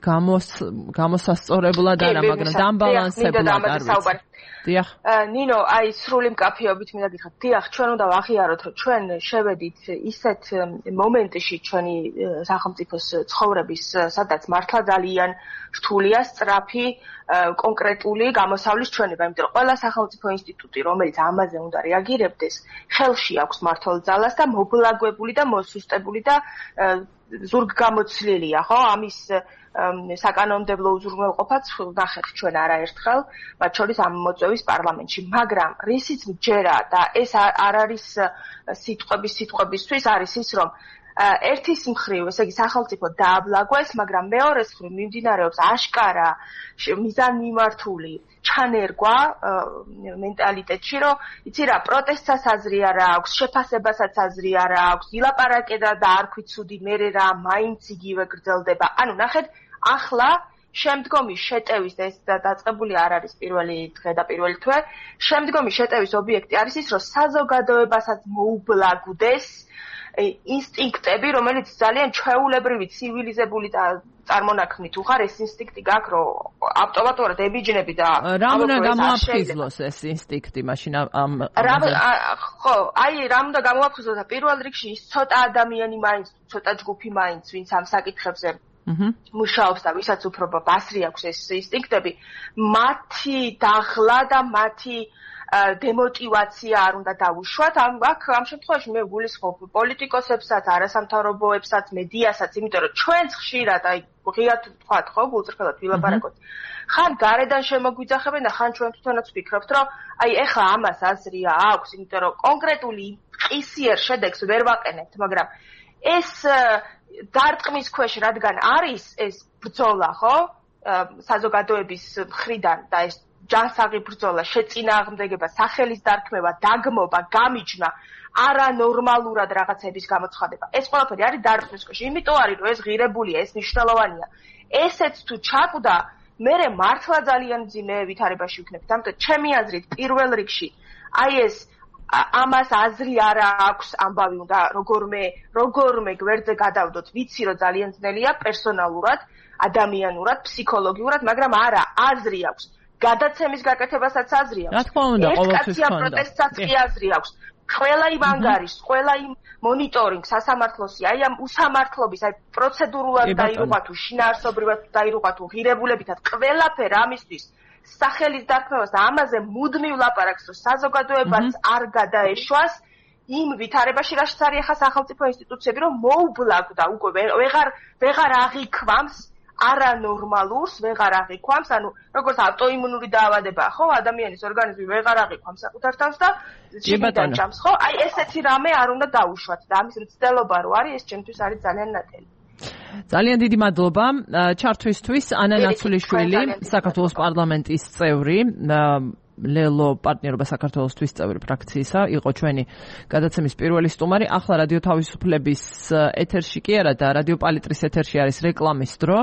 გამოსასწორებლად არა, მაგრამ დამბალანსებლად არ ვიცი. დიახ. ნინო, აი სრული მკაფიობით მინდა გითხრათ, დიახ, ჩვენ უნდა ვაღიაროთ, რომ ჩვენ შევედით ისეთ მომენტში ჩვენი სახელმწიფოს ცხოვრების, სადაც მართლა ძალიან რთულია სწრაფი კონკრეტული გამოსავლის ჩვენება, იმიტომ რომ ყველა სახელმწიფო ინსტიტუტი, რომელიც ამაზე უნდა რეაგირებდეს, ხელში აქვს მმართველ ძალას და მობლაგვებული და მოსუსტებული და ზურგგამოცლილია, ხო? ამის საკანონმდებლო უზრუნველყოფაც ვნახეთ ჩვენ არაერთხელ, მათ შორის ამ მოწვევის პარლამენტში, მაგრამ რისიც მჯერა და ეს არ არის სიტყვების სიტყვებისთვის, არის ის, რომ ერთის მხრივ, ესე იგი სახელმწიფო დააბლაგვეს, მაგრამ მეორეს მხრივ მიმდინარეობს აშკარა მიზანმიმართული ჩანერგვა მენტალიტეტში, რომ იცი რა, პროტესტსაც აზრი არ აქვს, შეფასებასაც აზრი არ აქვს, ილაპარაკე და არქვი ცუდი, მერე რა, მაინც იგივე გრძელდება. ანუ ნახეთ, ახლა შემდგომი შეტევის და ეს დაწყებული არ არის პირველი დღე და პირველი თვე, შემდგომი შეტევის ობიექტი არის ის, რომ საზოგადოებასაც მოუბლაგდეს ინსტინქტები, რომელიც ძალიან ჩვეულებრივი, ცივილიზებული და წარმონაქმნით უხარ, ეს ინსტინქტი გაქვს, რომ ავტომატურად ებიჯნები და რა უნდა გამოაფხიზლოს ეს ინსტინქტი მაშინ ამ ხო, აი რა უნდა გამოაფხიზლოს და პირველ რიგში ის ცოტა ადამიანი მაინც, ცოტა ჯგუფი მაინც, ვინც ამ საკითხებზე მუშაობს და ვისაც უფრო ბასრი აქვს ეს ინსტინქტები, მათი დაღლა და მათი დემოტივაცია არ უნდა დავუშვათ. ამ აქ ამ შემთხვევაში მე გულისხმობ პოლიტიკოსებსაც, არასამთავრობოებსაც, მედიასაც, იმიტომ რომ ჩვენც ხშირად აი ღიად ვთქვათ, ხო, გულწრფელად ვილაპარაკოთ. ხან გარედან შემოგვიძახებენ და ხან ჩვენ თვითონაც ვფიქრობთ, რომ აი ეხლა ამას აზრია აქვს, იმიტომ რომ კონკრეტული ყისიერ შედეგს ვერ ვაყენებთ, მაგრამ ეს დარტყმის ქვეშ რადგან არის ეს ბრძოლა, ხო, საზოგადოების მხრიდან და ეს ჯანსაღი ბრძოლა, შეწინააღმდეგება, სახელის დარქმევა, დაგმობა, გამიჯნა, არანორმალურად რაღაცების გამოცხადება. ეს ყველაფერი არის დარტყმის ქვეშ. იმიტომ არის, რომ ეს ღირებულია, ეს მნიშვნელოვანია. ესეც თუ ჩაკვდა, მერე მართლა ძალიან მძიმე ვითარებაში ვიქნებით. ამიტომ ჩემი აზრით, პირველ რიგში, აი ეს ამას აზრი არ აქვს ამბავი უნდა როგორმე როგორმე გვერდზე გადავდოთ. ვიცი, რომ ძალიან ძნელია პერსონალურად, ადამიანურად, ფსიქოლოგიურად, მაგრამ არა, აზრი აქვს. გადაცემის გაკეთებასაც აზრი აქვს. რა თქმა უნდა, ყოველთვის ხონდა. პროტესტსაც აზრი აქვს. ყველა იმ ანგარიშს, ყველა იმ მონიტორინგს სასამართლოსი, აი ამ უსამართლობის, აი პროცედურულად დაირუღა თუ შინაარსობრივად დაირუღა თუ ღირებულებითად, ყველაფერ ამისთვის სახელის დარქმევას და ამაზე მუდმივ ლაპარაკს, რომ საზოგადოებას არ გადაეშვას იმ ვითარებაში, რასაც არის ახლა სახელმწიფო ინსტიტუციები, რომ მოუბლაგდა უკვე ვეღარ ვეღარ აღიქვამს არანორმალურს, ვეღარ აღიქვამს, ანუ როგორც ავტოიმუნური დაავადებაა, ხო, ადამიანის ორგანიზმი ვეღარ აღიქვამს საკუთარ თავს და შიგნიდან ჭამს, ხო? აი ესეთი რამე არ უნდა დაუშვათ და ამის მცდელობა რო არის, ეს ჩემთვის არის ძალიან ნათელი. ძალიან დიდი მადლობა ჩართვისთვის. ანა ნაცულიშვილი, საქართველოს პარლამენტის წევრი. ლელო პარტნიორობა საქართველოსთვის წევრი ფრაქციისა, იყო ჩვენი გადაცემის პირველი სტუმარი. ახლა რადიო თავისუფლების ეთერში კი არა და რადიო პალიტრის ეთერში არის რეკლამის დრო.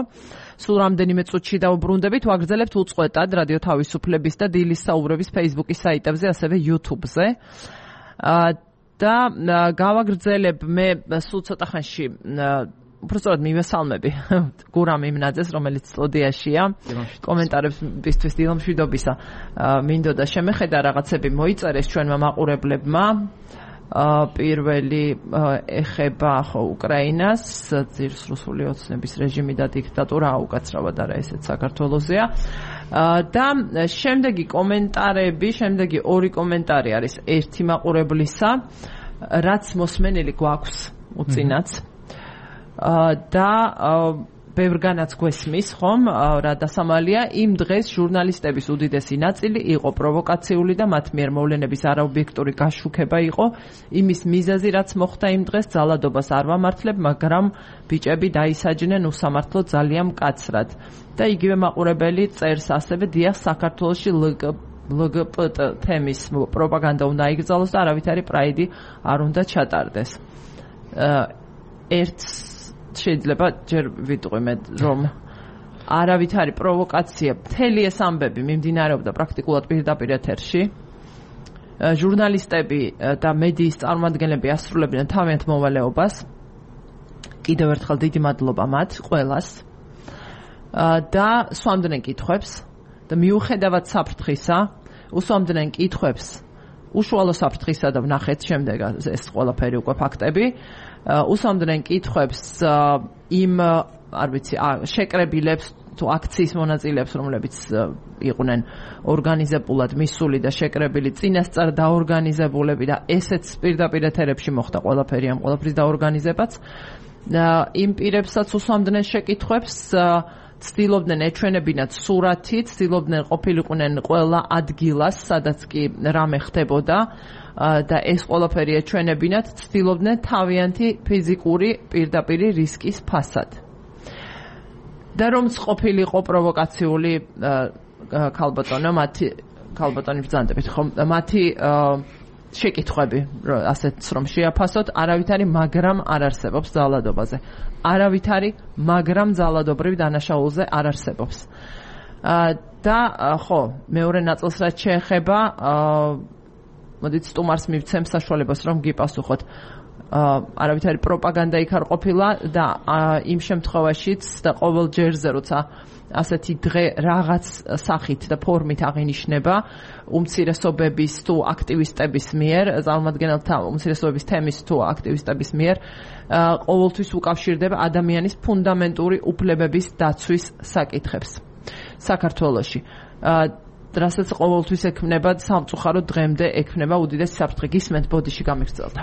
სულ რამდენიმე წუთში დავუბრუნდებით, ვაგრძელებთ უწყვეტად რადიო თავისუფლების და დილის საუბრების Facebook-ის საიტებზე, ასევე YouTube-ზე. და გავაგრძელებ მე სულ ცოტა ხანში უბრალოდ მივესალმები გურამ იმნაძეს, რომელიც სტუდიაშია. კომენტარებისთვის დილომშვიდობისა მინდოდა შემეხედა, რაღაცები მოიწერეს ჩვენმა მაყურებლებმა. პირველი ეხება ხო უკრაინას, ძირს რუსული ოცნების რეჟიმი და დიქტატურა უკაცრავად არა ესეც საქართველოსია. და შემდეგი კომენტარები, შემდეგი ორი კომენტარი არის ერთი მაყურებლისა, რაც მოსმენელი გვაქვს უწინაც. და ბევრგანაც გვესმის, ხომ, რა დასამალია, იმ დღეს ჟურნალისტების უდიდესი ნაწილი იყო პროვოკაციული და მათ მიერ მოვლენების არაობიექტური გაშუქება იყო. იმის მიზეზი, რაც მოხდა იმ დღეს, ძალადობას არ ვამართლებ, მაგრამ ბიჭები დაისაჯნენ უსამართლო ძალიან მკაცრად. და იგივე მაყურებელი წერს ასევე, დიახ, საქართველოში ლგბტ თემის პროპაგანდა უნდა იგრძალოს და არავითარი პრაიდი არ უნდა ჩატარდეს. ერთ შეიძლება ჯერ ვიტყვი მე, რომ არავითარი პროვოკაცია, მთელი ეს ამბები მიმდინარეობდა პრაქტიკულად პირდაპირ ეთერში. ჟურნალისტები და მედიის წარმომადგენლები ასრულებდნენ თავიანთ მოვალეობას. კიდევ ერთხელ დიდი მადლობა მათ ყველას. და სვამდნენ კითხვებს და მიუხედავად საფრთხისა, უსვამდნენ კითხვებს უშუალო საფრთხისა და ვნახეთ შემდეგ ეს ყველაფერი უკვე ფაქტები. უსვამდნენ კითხვებს იმ არ ვიცი შეკრებილებს თუ აქციის მონაწილეებს, რომლებიც იყვნენ ორგანიზებულად მისული და შეკრებილი წინასწარ დაორგანიზებულები და ესეც პირდაპირ ეთერებში მოხდა ყველაფერი ამ ყველაფრის დაორგანიზებაც. იმ პირებსაც უსვამდნენ შეკითხვებს, ცდილობდნენ ეჩვენებინათ სურათი, ცდილობდნენ ყოფილიყვნენ ყველა ადგილას, სადაც კი რამე ხდებოდა და ეს ყველაფერი ეჩვენებინათ, ცდილობდნენ თავიანთი ფიზიკური პირდაპირი რისკის ფასად. და რომც ყოფილიყო პროვოკაციული ქალბატონო, მათი ქალბატონი ბრძანდებით, ხომ, მათი შეკითხვები, ასეც რომ შეაფასოთ, არავითარი მაგრამ არ არსებობს ძალადობაზე. არავითარი მაგრამ ძალადობრივ დანაშაულზე არ არსებობს. და ხო, მეორე ნაწილს რაც შეეხება, მოდით სტუმარს მივცემ საშუალებას, რომ გიპასუხოთ. არავითარი პროპაგანდა იქ არ ყოფილა და იმ შემთხვევაშიც და ყოველ ჯერზე, როცა ასეთი დღე რაღაც სახით და ფორმით აღინიშნება უმცირესობების თუ აქტივისტების მიერ, წარმომადგენელთა უმცირესობების თემის თუ აქტივისტების მიერ, ყოველთვის უკავშირდება ადამიანის ფუნდამენტური უფლებების დაცვის საკითხებს საქართველოში. რასაც ყოველთვის ექმნება სამწუხაროდ დღემდე ექმნება უდიდესი საფრთხე. გისმენთ, ბოდიში გამიგრძელდა.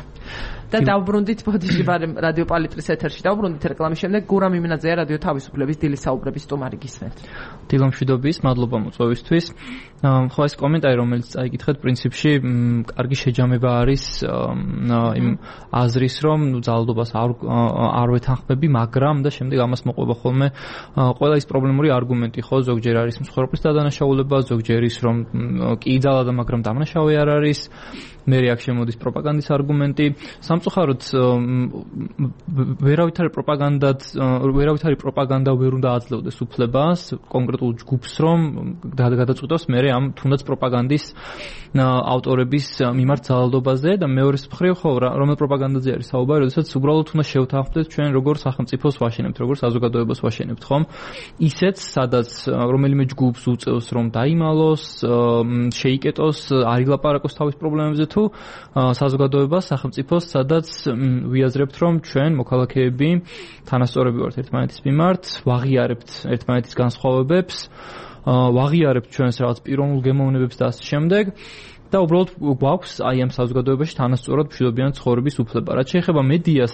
და დავბრუნდით ბოდიში რადიო პალიტრის ეთერში, დავბრუნდით რეკლამის შემდეგ. გურამ იმნაძეა რადიო თავისუფლების დილის საუბრების სტუმარი, გისმენთ. დილომშვიდობის, მადლობა მოწვევისთვის. ხო, ეს კომენტარი, რომელიც წაიკითხეთ, პრინციპში კარგი შეჯამება არის იმ აზრის, რომ ძალადობას არ არ ვეთანხმები, მაგრამ და შემდეგ ამას მოყვება ხოლმე ყველა ის პრობლემური არგუმენტი, ხო, ზოგჯერ არის მსხვერპლის დადანაშაულება, ზოგჯერ ის რომ კი ძალადა, მაგრამ დამნაშავე არ არის. მე აქ შემოდის პროპაგანდის არგუმენტი. სამწუხაროდ ვერავითარი პროპაგანდად, ვერავითარი პროპაგანდა ვერ უნდა აძლევდეს უფლებას კონკრეტულ ჯგუფს, რომ გადაწყვიტოს მე ამ თუნდაც პროპაგანდის ავტორების მიმართ ძალადობაზე და მეორეს მხრივ ხო რომელ პროპაგანდაზე არის საუბარი, როდესაც უბრალოდ უნდა შევთანხმდეთ ჩვენ როგორ სახელმწიფოს ვაშენებთ, როგორ საზოგადოებას ვაშენებთ, ხომ? ისეც, სადაც რომელიმე ჯგუფს უწევს რომ დაიმალოს, შეიკეტოს, არ ილაპარაკოს თავის პრობლემებზე თუ საზოგადოებას, სახელმწიფოს, სადაც ვიაზრებთ რომ ჩვენ მოქალაქეები თანასწორები ვართ ერთმანეთის მიმართ, ვაღიარებთ ერთმანეთის განსხვავებებს, ვაღიარებთ ჩვენს რაღაც პიროვნულ გემოვნებებს და ასე შემდეგ. და უბრალოდ გვაქვს აი ამ საზოგადოებაში თანასწორად მშვიდობიანი ცხოვრების უფლება. რაც შეეხება მედიას,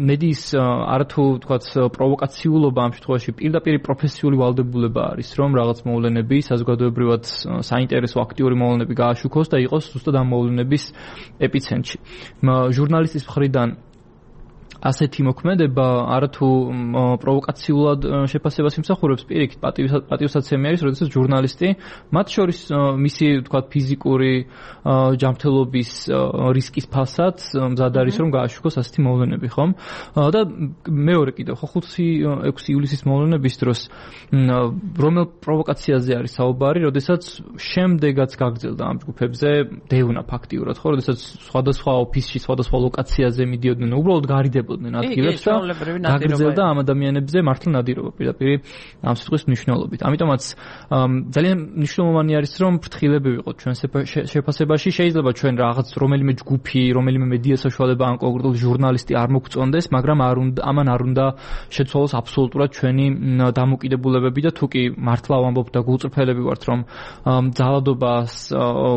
მედიის არათუ თქვათ პროვოკაციულობა ამ შემთხვევაში პირდაპირ პროფესიული ვალდებულება არის, რომ რაღაც მოვლენები საზოგადოებრივად საინტერესო აქტიური მოვლენები გააშუქოს და იყოს ზუსტად ამ მოვლენების ეპიცენტრში. ჟურნალისტის მხრიდან ასეთი მოქმედება არათუ პროვოკაციულად შეფასებას იმსახურებს, პირიქით პატივსაცემი არის, როდესაც ჟურნალისტი მათ შორის მისი თქვა ფიზიკური ჯანმრთელობის რისკის ფასად მზად არის რომ გააშუქოს ასეთი მოვლენები, ხომ? და მეორე კიდევ ხო ხუთი ექვსი ივლისის მოვლენების დროს რომელ პროვოკაციაზე არის საუბარი, როდესაც შემდეგაც გაგრძელდა ამ ჯგუფებზე დევნა ფაქტიურად, ხო, როდესაც სხვადასხვა ოფისში, სხვადასხვა ლოკაციაზე მიდიოდნენ, უბრალოდ გარიდებოდნენ ადგილებს და გაგრძელდა ამ ადამიანებზე მართლა ნადირობა პირდაპირ ამ სიტყვის მნიშვნელობით. ამიტომაც ძალიან მნიშვნელოვანი არის რომ ფრთხილები ვიყოთ ჩვენ შეფასებაში, შეიძლება ჩვენ რაღაც რომელიმე ჯგუფი, რომელიმე მედია საშუალება ან კონკრეტულ ჟურნალისტი არ მოგწონდეს, მაგრამ არ უნდა ამან არ უნდა შეცვალოს აბსოლუტურად ჩვენი დამოკიდებულებები და თუკი მართლა ვამბობ და გულწრფელები ვართ რომ ძალადობას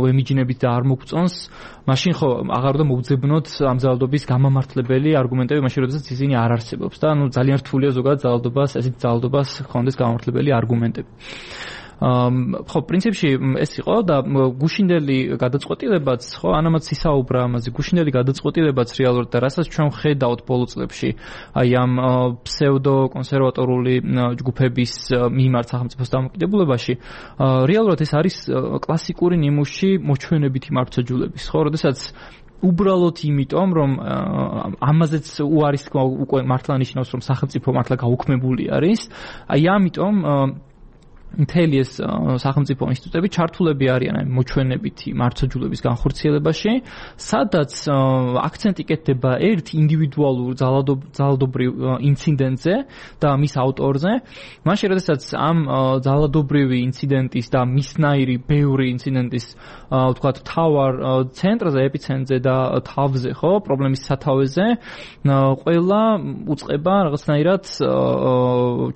ვემიჯნებით და არ მოგწონს, მაშინ ხო აღარ უნდა მოვძებნოთ ამ ძალადობის გამამართლებელი არგუმენტები, მაშინ როდესაც ისინი არ არსებობს და ანუ ძალიან რთულია ზოგადად ძალადობას, ესეთ ძალადობას ხონდეს გამამართლებელი არგუმენტები. ხო, პრინციპში ეს იყო და გუშინდელი გადაწყვეტილებაც, ხო, ანამაც ისაუბრა ამაზე, გუშინდელი გადაწყვეტილებაც რეალურად და რასაც ჩვენ ხედავთ ბოლო წლებში, აი ამ ფსევდო კონსერვატორული ჯგუფების მიმართ სახელმწიფოს დამოკიდებულებაში, რეალურად ეს არის კლასიკური ნიმუში მოჩვენებითი მართლმსაჯულების, ხო, როდესაც უბრალოდ იმიტომ, რომ ამაზეც უარის თქმა უკვე მართლა ნიშნავს, რომ სახელმწიფო მართლა გაუქმებული არის, აი ამიტომ მთელი ეს სახელმწიფო ინსტიტუტები ჩართულები არიან აი მოჩვენებითი მართლმსაჯულების განხორციელებაში, სადაც აქცენტი კეთდება ერთ ინდივიდუალურ ძალადობრივ ინციდენტზე და მის ავტორზე, მაშინ როდესაც ამ ძალადობრივი ინციდენტის და მისნაირი ბევრი ინციდენტის ვთქვათ თავარ ცენტრზე, ეპიცენტრზე და თავზე, ხო, პრობლემის სათავეზე ყველა უწყება რაღაცნაირად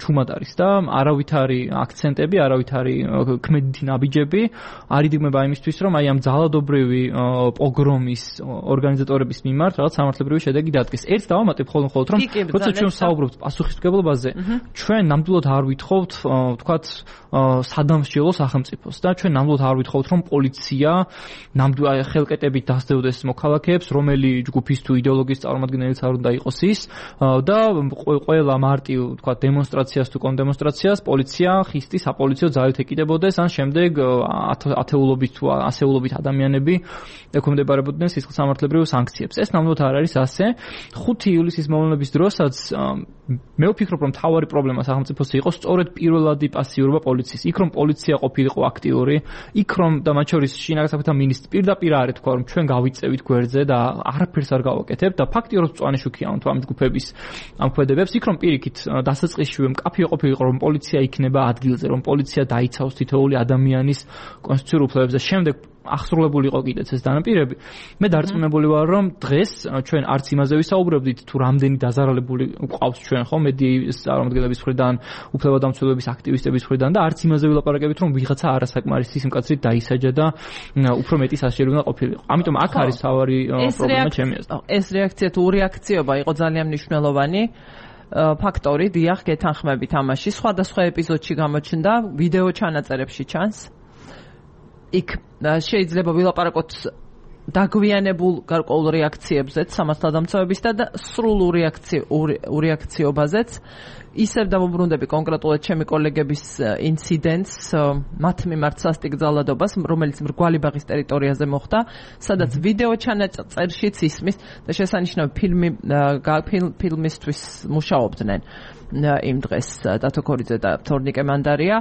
ჩუმად არის და არავითარი აქცენტი არავითარი ქმედითი ნაბიჯები არ იდიგმება იმისთვის, რომ აი ამ ძალადობრივი პოგრომის ორგანიზატორების მიმართ რაღაც სამართლებრივი შედეგი დადგეს. ერთ დავამატებ ხოლმე მხოლოდ, რომ როცა ჩვენ ვსაუბრობთ პასუხისმგებლობაზე, ჩვენ ნამდვილად არ ვითხოვთ, ვთქვათ, სადამსჯელო სახელმწიფოს და ჩვენ ნამდვილად არ ვითხოვთ, რომ პოლიცია ნამდვილად ხელკეტებით დასდევდეს მოქალაქეებს, რომელი ჯგუფის თუ იდეოლოგიის წარმომადგენელიც არ უნდა იყოს ის და ყველა მარტივ, ვთქვათ, დემონსტრაციას თუ კონდემონსტრაციას პოლიცია ხისტის პოლიციო ძალით ეკიდებოდეს, ან შემდეგ ათეულობით თუ ასეულობით ადამიანები ექვემდებარებოდნენ სისხლსამართლებრივ სანქციებს. ეს ნამდვილად არ არის ასე. ხუთი ივლისის მოვლენების დროსაც მე ვფიქრობ, რომ მთავარი პრობლემა სახელმწიფოს იყო სწორედ პირველადი პასიურობა პოლიციის. იქ რომ პოლიცია ყოფილიყო აქტიური, იქ რომ და მათ შორის შინაგან საქმეთა მინისტრი პირდაპირ არ ეთქვა, რომ ჩვენ გავიწევით გვერდზე და არაფერს არ გავაკეთებთ და ფაქტიურად მწვანე შუქია თუ ამ ჯგუფების ამ ქმედებებს. იქ რომ პირიქით დასაწყისშივე მკაფიო ყოფილიყო, რომ პოლიცია იქნება ადგილზე, რომ პოლიცია დაიცავს თითოეული ადამიანის კონსტიტუციურ უფლებებს და შემდეგ აღსრულებული იყო კიდეც ეს დანაპირები. მე დარწმუნებული ვარ, რომ დღეს ჩვენ არც იმაზე ვისაუბრებდით, თუ რამდენი დაზარალებული გვყავს ჩვენ ხო მედიის წარმომადგენლების მხრიდან, უფლებადამცველების აქტივისტების მხრიდან და არც იმაზე ვილაპარაკებით, რომ ვიღაცა არასაკმარისი სიმკაცრით დაისაჯა და უფრო მეტი სასჯელი უნდა ყოფილიყო. ამიტომ აქ არის თავარი პრობლემა ჩემი აზრით. ეს რეაქცია თუ რეაქციობა იყო ძალიან მნიშვნელოვანი. ფაქტორი, დიახ, გეთანხმებით ამაში. სხვადასხვა ეპიზოდში გამოჩნდა, ვიდეო ჩანაწერებში ჩანს. იქ შეიძლება ვილაპარაკოთ დაგვიანებულ გარკვეულ რეაქციებზეც, სამართალდამცავებისა და სრულ ურეაქციობაზეც. ისევ დავუბრუნდები კონკრეტულად ჩემი კოლეგების ინციდენტს, მათ მიმართ სასტიკ ძალადობას, რომელიც მრგვალიბაღის ტერიტორიაზე მოხდა, სადაც ვიდეო ჩანაწერშიც ისმის და შესანიშნავი ფილმი ფილმისთვის მუშაობდნენ იმ დღეს დათო ქორიძე და თორნიკე მანდარია.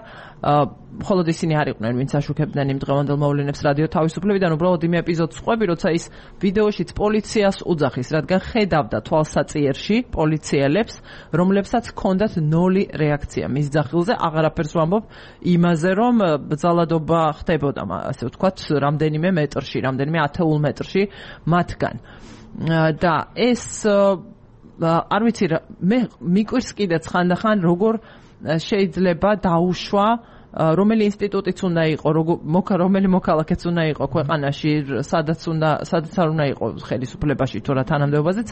მხოლოდ ისინი არ იყვნენ, ვინც აშუქებდნენ იმ დღევანდელ მოვლენებს რადიო თავისუფლებიდან, უბრალოდ იმ ეპიზოდს ყვები, როცა ის ვიდეოშიც პოლიციას უძახის, რადგან ხედავდა თვალსაწიერში პოლიციელებს, რომლებსაც ჰქონდათ ნოლი რეაქცია მის ძახილზე, აღარაფერს ვამბობ იმაზე, რომ ძალადობა ხდებოდა, ასე ვთქვათ, რამდენიმე მეტრში, რამდენიმე ათეულ მეტრში მათგან. და ეს არ ვიცი, მე მიკვირს კიდეც ხანდახან, როგორ შეიძლება დაუშვა რომელი ინსტიტუტიც უნდა იყო, რომელი მოქალაქეც უნდა იყო ქვეყანაში, სადაც უნდა, სადაც არ უნდა იყო ხელისუფლებაში თუ რა თანამდებობაზეც,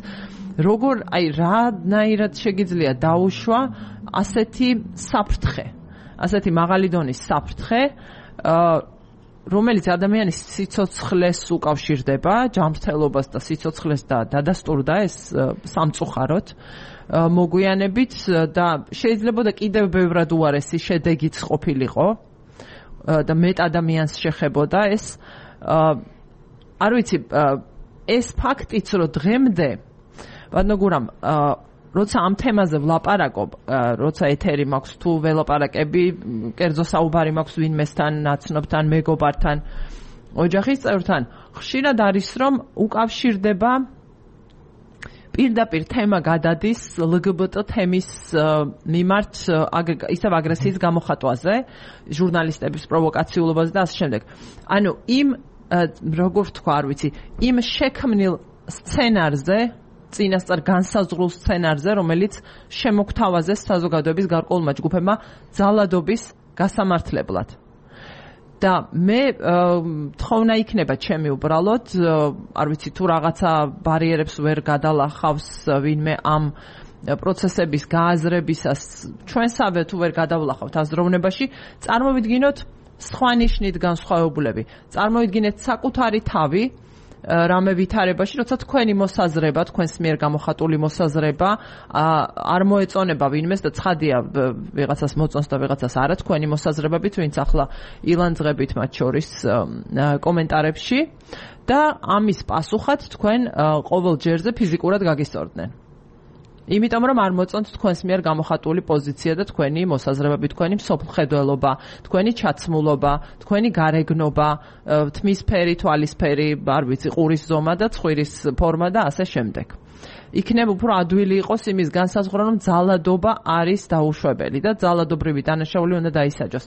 როგორ, აი, რანაირად შეგიძლია დაუშვა ასეთი საფრთხე, ასეთი მაღალი დონის საფრთხე, რომელიც ადამიანის სიცოცხლეს უკავშირდება, ჯანმრთელობას და სიცოცხლეს და დადასტურდა ეს სამწუხაროდ მოგვიანებით და შეიძლება და კიდევ ბევრად უარესი შედეგიც ყოფილიყო და მეტ ადამიანს შეხებოდა ეს არ ვიცი ეს ფაქტიც რომ დღემდე ბატონო გურამ როცა ამ თემაზე ვლაპარაკობ, როცა ეთერი მაქვს თუ ველაპარაკები, კერძო საუბარი მაქვს ვინმესთან, ნაცნობთან, მეგობართან, ოჯახის წევრთან, ხშირად არის რომ უკავშირდება პირდაპირ თემა გადადის ელ გი ბი ტი თემის მიმართ ისევ აგრესიის გამოხატვაზე, ჟურნალისტების პროვოკაციულობაზე და ასე შემდეგ. ანუ იმ როგორ ვთქვა, არ ვიცი, იმ შექმნილ სცენარზე წინასწარ განსაზღვრულ სცენარზე, რომელიც შემოგთავაზეს საზოგადოების გარკვეულმა ჯგუფებმა ძალადობის გასამართლებლად. და მე თხოვნა იქნება ჩემი უბრალოდ, არ ვიცი თუ რაღაცა ბარიერებს ვერ გადალახავს ვინმე ამ პროცესების გააზრებისას, ჩვენსავე თუ ვერ გადავლახავთ აზროვნებაში, წარმოვიდგინოთ სხვა ნიშნით განსხვავებულები. წარმოვიდგინეთ საკუთარი თავი რამე ვითარებაში, როცა თქვენი მოსაზრება, თქვენს მიერ გამოხატული მოსაზრება არ მოეწონება ვინმეს და ცხადია ვიღაცას მოწონს და ვიღაცას არა თქვენი მოსაზრებებით, ვინც ახლა ილანძღებით მათ შორის კომენტარებში და ამის პასუხად თქვენ ყოველ ჯერზე ფიზიკურად გაგისწორდნენ. იმიტომ რომ არ მოწონთ თქვენს მიერ გამოხატული პოზიცია და თქვენი მოსაზრებები, თქვენი მსოფლმხედველობა, თქვენი ჩაცმულობა, თქვენი გარეგნობა, თმისფერი, თვალისფერი, არ ვიცი, ყურის ზომა და ცხვირის ფორმა და ასე შემდეგ. იქნებ უფრო ადვილი იყოს იმის განსაზღვრა, რომ ძალადობა არის დაუშვებელი და ძალადობრივი დანაშაული უნდა დაისაჯოს.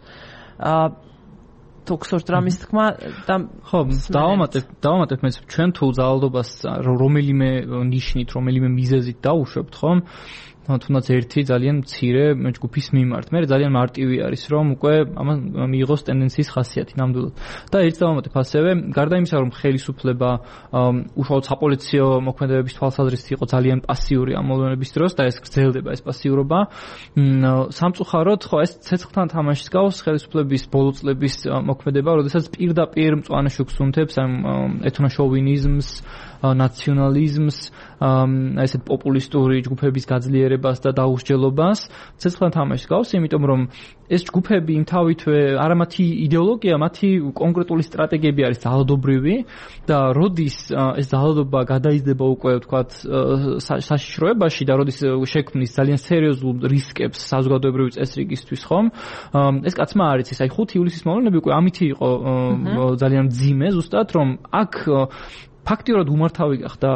თუ გსურთ რამის თქმა და ხო, დავამატებ, დავამატებ მე ჩვენ თუ ძალადობას რომელიმე ნიშნით, რომელიმე მიზეზით დავუშვებთ, ხომ? თუნდაც ერთი ძალიან მცირე ჯგუფის მიმართ. მე ძალიან მარტივი არის, რომ უკვე ამან მიიღოს ტენდენციის ხასიათი ნამდვილად. და ერთ დავამატებ ასევე, გარდა იმისა, რომ ხელისუფლება უშუალოდ საპოლიციო მოქმედებების თვალსაზრისით იყო ძალიან პასიური ამ მოვლენების დროს და ეს გრძელდება ეს პასიურობა. სამწუხაროდ, ხო, ეს ცეცხლთან თამაშს გავს ხელისუფლების ბოლო წლების მოქმედება, როდესაც პირდაპირ მწვანე შუქს უნთებს ამ ეთნოშოვინიზმს, ნაციონალიზმს, ესეთ პოპულისტური ჯგუფების გაძლიერებას და დაუსჯელობას. ცეცხლთან თამაშს გავს, იმიტომ რომ ეს ჯგუფები იმთავითვე არა მათი იდეოლოგია, მათი კონკრეტული სტრატეგიები არის ძალადობრივი და როდის ეს ძალადობა გადაიზრდება უკვე ვთქვათ საშიშროებაში და როდის შექმნის ძალიან სერიოზულ რისკებს საზოგადოებრივი წესრიგისთვის, ხომ? ეს კაცმა არ იცის, აი ხუთი ივლისის მოვლენები უკვე ამითი იყო ძალიან მძიმე, ზუსტად რომ აქ ფაქტიურად უმართავი გახდა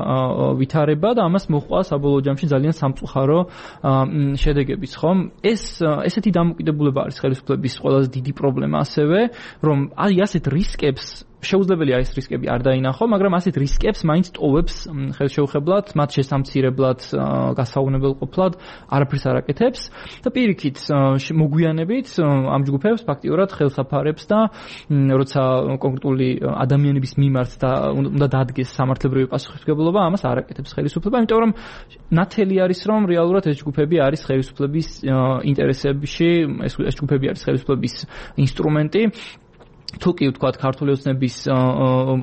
ვითარება და ამას მოჰყვა საბოლოო ჯამში ძალიან სამწუხარო შედეგებიც, ხომ? ეს ესეთი დამოკიდებულება არის ხელისუფლების ყველაზე დიდი პრობლემა ასევე, რომ აი ასეთ რისკებს შეუძლებელია ეს რისკები არ დაინახო, მაგრამ ასეთ რისკებს მაინც ტოვებს ხელშეუხებლად, მათ შესამცირებლად, გასაუგნებელყოფლად, არაფერს არ აკეთებს და პირიქით მოგვიანებით ამ ჯგუფებს ფაქტიურად ხელს აფარებს და როცა კონკრეტული ადამიანების მიმართ და უნდა დადგეს სამართლებრივი პასუხისმგებლობა, ამას არ აკეთებს ხელისუფლება, იმიტომ რომ ნათელი არის, რომ რეალურად ეს ჯგუფები არის ხელისუფლების ინტერესებში, ეს ჯგუფები არის ხელისუფლების ინსტრუმენტი. თუ კი ვთქვათ ქართული ოცნების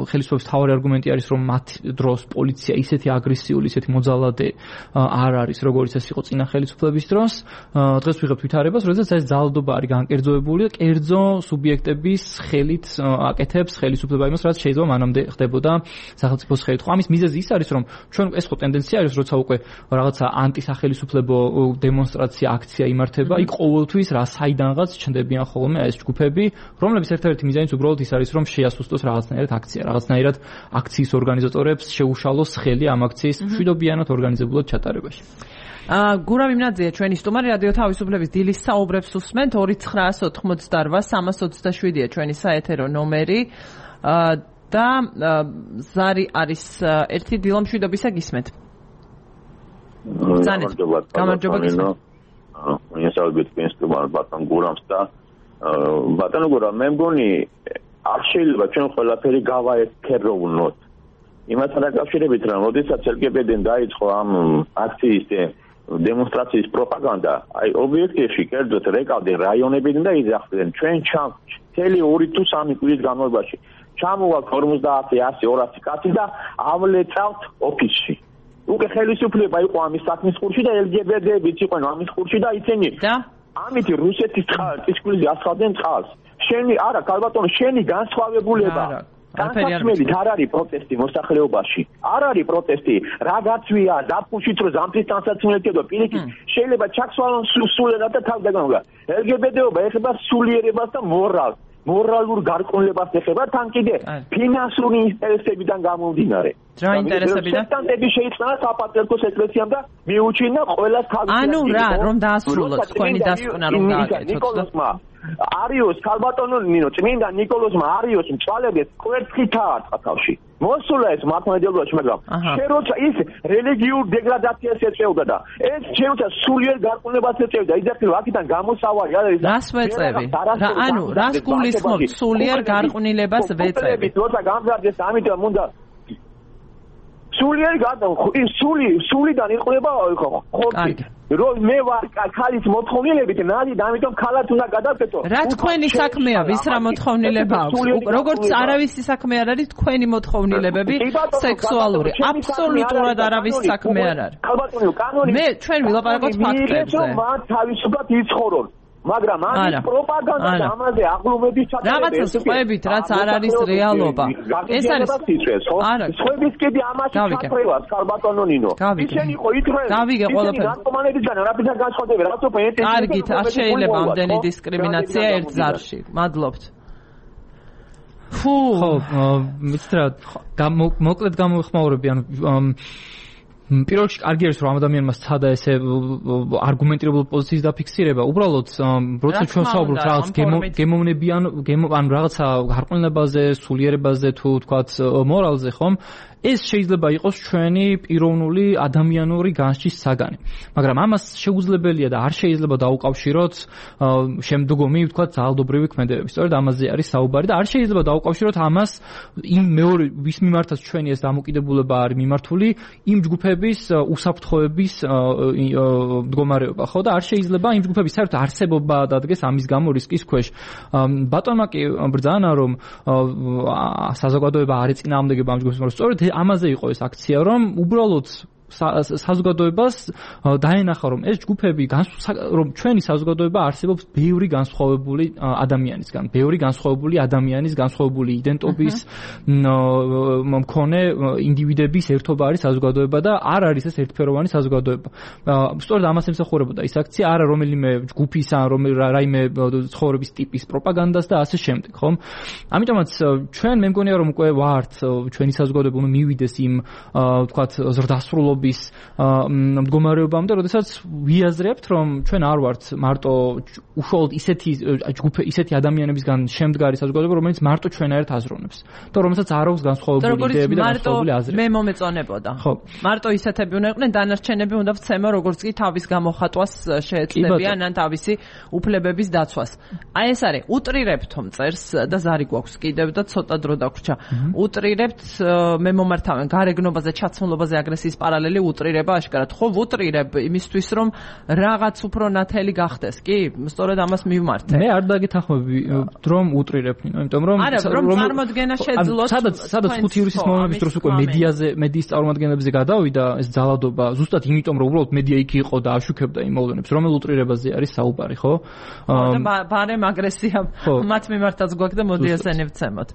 ხელისუფლების მთავარი არგუმენტი არის რომ მათ დროს პოლიცია ისეთი აგრესიული, ისეთი მოძალადე არ არის როგორც ეს იყო წინა ხელისუფლების დროს. დღეს ვიღებთ ვითარებას, როდესაც ეს ძალადობა არის განკერძოებული და კერძო სუბიექტების ხელით აკეთებს ხელისუფლება იმას, რაც შეიძლება მანამდე ხდებოდა სახელმწიფოს ხელით. ხო, ამის მიზეზი ის არის, რომ ჩვენ ეს ხო ტენდენცია არის, როცა უკვე რაღაცა ანტისახელისუფლებო დემონსტრაცია, აქცია იმართება, იქ ყოველთვის რა საიდანღაც ჩნდებიან ხოლმე ეს ჯგუფები, რომლებიც ერთ-ერთი მიზანიც უბრალოდ ის არის, რომ შეასუსტოს რაღაცნაირად აქცია, რაღაცნაირად აქციის ორგანიზატორებს შეუშალოს ხელი ამ აქციის მშვიდობიანად ორგანიზებულად ჩატარებაში. აა გურავ იმნაძეა ჩვენი სტუმარი რადიო თავისუფლების დილის საუბრებს უსმენთ ორი ცხრაას ოთხმოცდარვა სამას ოცდაშვიდია ჩვენი საეთერო ნომერი და ზარი არის ერთი დილა მშვიდობისა გისმენთ. გამარჯობა გისმენთ. მე საუბრობთ ჩვენი სტუმარი ბატონ გურამს და ბატონო გურამ, მე მგონი არ შეიძლება ჩვენ ყველაფერი გავაექეროვნოთ. იმასთან დაკავშირებით, რომ როდესაც ელ გი ბი ტი-დან დაიწყო ამ აქციის დემონსტრაციის პროპაგანდა, აი ობიექტივში კერძოდ რეკავდნენ რაიონებიდან და იძახდნენ ჩვენ მთელი ორი თუ სამი კვირის განმავლობაში ჩამოვალთ ორმოცდაათი, ასი, ორასი კაცი დაავლეწავთ ოფისში. უკვე ხელისუფლება იყო ამის საქმის ყურში და ელ ჯი ბი ტი-ებიც იყვნენ ამის ყურში და ისინი ამით რუსეთის წისქვილზე ასხავდნენ წყალს. შენი არა, ქალბატონო, შენი განსხვავებულება განსაცმელით არ არის პროტესტი მოსახლეობაში. არ არის პროტესტი, რა გაცვია, დაფუჭით რომ ზამთრის განსაცმელეთო პირიქით შეიძლება ჩაქსვალონ სულიერად და თავდაგანობა. ელ ჯი ბი ტი-ობა ეხება სულიერებას და მორალს. მორალურ გარკვევლებას ეხება თან კიდე ფინანსური ინტერესებიდან გამომდინარე. რა ინტერესებიდან? სტანდარტები შეიწყნა საპატრიარქოს ეკლესიამ და მიუჩინა ყველას თავის. ანუ რა, რომ დაასრულოთ თქვენი დასკვნა რომ გააკეთოთ. ნიკოლოსმა არიოს ქალბატონო ნინო წმინდა ნიკოლოსმა არიოს მწვალებდეს კვერცხითაა წყალში. მოსულა ეს მართლმადიდებლობაში, მაგრამ შენ როცა ის რელიგიურ დეგრადაციას ეწევდა და ეს შეუცა სულიერ გარყვნებას ეწევდა, იძახილ აქედან გამოსავალი არის. რას ვეწევი? რა ანუ რას გულისხმობთ სულიერ გარყვნილებას ვეწევი? როცა გამზარდეს ამიტომ უნდა სულიერ გარყვნილება სული სულიდან იყვება ხორცი. რომ მე ვარ ქალის მოთხოვნილებით ნადი და ამიტომ ქალად უნდა გადავკეთო. რა თქვენი საქმეა, ვის რა მოთხოვნილება აქვს? როგორც არავისი საქმე არ არის თქვენი მოთხოვნილებები სექსუალური. აბსოლუტურად არავის საქმე არ არის. მე ჩვენ ვილაპარაკოთ ფაქტებზე. მათ თავისუფლად იცხოვრონ. მაგრამ ამის პროპაგანდა და ამაზე აღლუმების ჩატარება რაღაცა სხვებით, რაც არ არის რეალობა. ეს არის არა, სხვების კიდე ამაში ჩათრევას ქალბატონო ნინო. ისინი იყო ითხრეს. გავიგე ყველაფერს. ნარკომანებისგან რაფერთან განსხვავდება, რაც უფრო ერთი. კარგით, არ შეიძლება ამდენი დისკრიმინაცია ერთ ზარში. მადლობთ. ხო, მიცით რა, მოკლედ გამოვიხმაურები, ანუ პირველ რიგში კარგი არის რომ ამ ადამიანმა სცადა ესე არგუმენტირებულ პოზიციის დაფიქსირება. უბრალოდ როცა ჩვენ საუბრობთ რაღაც გემოვნებიან, ანუ რაღაცა გარყვნილებაზე, სულიერებაზე თუ თქვათ მორალზე, ხომ? ეს შეიძლება იყოს ჩვენი პიროვნული ადამიანური განსჯის საგანი. მაგრამ ამას შეუძლებელია და არ შეიძლება დაუკავშიროთ შემდგომი, ვთქვათ, ძალადობრივი ქმედებები. სწორედ ამაზე არის საუბარი და არ შეიძლება დაუკავშიროთ ამას იმ მეორე ვის მიმართაც ჩვენი ეს დამოკიდებულება არის მიმართული იმ ჯგუფების უსაფრთხოების მდგომარეობა, ხო და არ შეიძლება იმ ჯგუფების საერთოდ არსებობა დადგეს ამის გამო რისკის ქვეშ. ბატონმა კი ბრძანა რომ საზოგადოება არ ეწინააღმდეგება ამ ჯგუფებს, მაგრამ სწორედ ამაზე იყო ეს აქცია, რომ უბრალოდ საზოგადოებას დაენახა რომ ეს ჯგუფები რომ ჩვენი საზოგადოება არსებობს ბევრი განსხვავებული ადამიანისგან, ბევრი განსხვავებული ადამიანის განსხვავებული იდენტობის მქონე ინდივიდების ერთობა არის საზოგადოება და არ არის ეს ერთფეროვანი საზოგადოება. სწორედ ამას ემსახურებოდა ის აქცია, არა რომელიმე ჯგუფის ან რაიმე ცხოვრების ტიპის პროპაგანდას და ასე შემდეგ, ხომ? ამიტომაც ჩვენ მე მგონია რომ უკვე ვართ ჩვენი საზოგადოება უნდა მივიდეს იმ ვთქვათ ზრდასრულობის მდგომარეობამდე, როდესაც ვიაზრებთ, რომ ჩვენ არ ვართ მარტო უშუალოდ ისეთი ჯგუფი, ისეთი ადამიანებისგან შემდგარი საზოგადოება, რომელიც მარტო ჩვენაერთ აზროვნებს და რომელსაც არ აქვს განსხვავებული იდეები და განსხვავებული აზრები. მე მომეწონებოდა. მარტო ისეთები უნდა იყვნენ, დანარჩენები უნდა ვცემო, როგორც კი თავის გამოხატვას შეეცდებიან ან თავისი უფლებების დაცვას. აი ეს არის, უტრირებთ წერს და ზარი გვაქვს კიდევ და ცოტა დრო დაგვრჩა. უტრირებთ, მე მომართავენ გარეგნობაზე, ჩაცმულობაზე, აგრესიის პარალელში უტრირება აშკარად. ხო, ვუტრირებ იმისთვის, რომ რაღაც უფრო ნათელი გახდეს, კი? სწორედ ამას მივმართე. მე არ დაგეთანხმები, რომ უტრირებ, იმიტომ რომ არა, რომ წარმოდგენა შეძლოს. სადაც სადაც ხუთი ივლისის მომენტის დროს უკვე მედიაზე, მედიის წარმოადგენებზე გადავიდა ეს ძალადობა, ზუსტად იმიტომ, რომ უბრალოდ მედია იქ იყო და აშუქებდა იმ მოვლენებს, რომელ უტრირებაზე არის საუბარი, ხო? და ბარემ აგრესია მათ მიმართაც გვაქვს და მოდი ესენი ვცემოთ.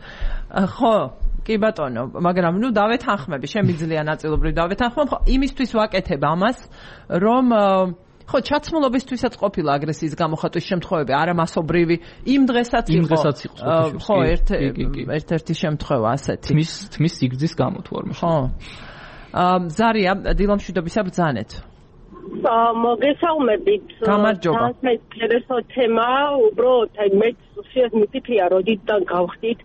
ხო, კი ბატონო, მაგრამ ნუ დავეთანხმები, შემიძლია ნაწილობრივ დავეთანხმებ, ხო, იმისთვის ვაკეთებ ამას, რომ ხო, ჩაცმულობისთვისაც ყოფილა აგრესიის გამოხატვის შემთხვევები, არა მასობრივი, იმ დღესაც იყო. იმ დღესაც იყო. ხო, ერთ-ერთი შემთხვევა ასეთი. თმის თმის სიგრძის გამო თუ არ ხო. ზარია, დილამშვიდობისა ბრძანეთ. მოგესალმებით. გამარჯობა. მე ინტერესო თემა, უბრალოდ აი მე უშიათ მიფიქრია, როდიდან გავხდით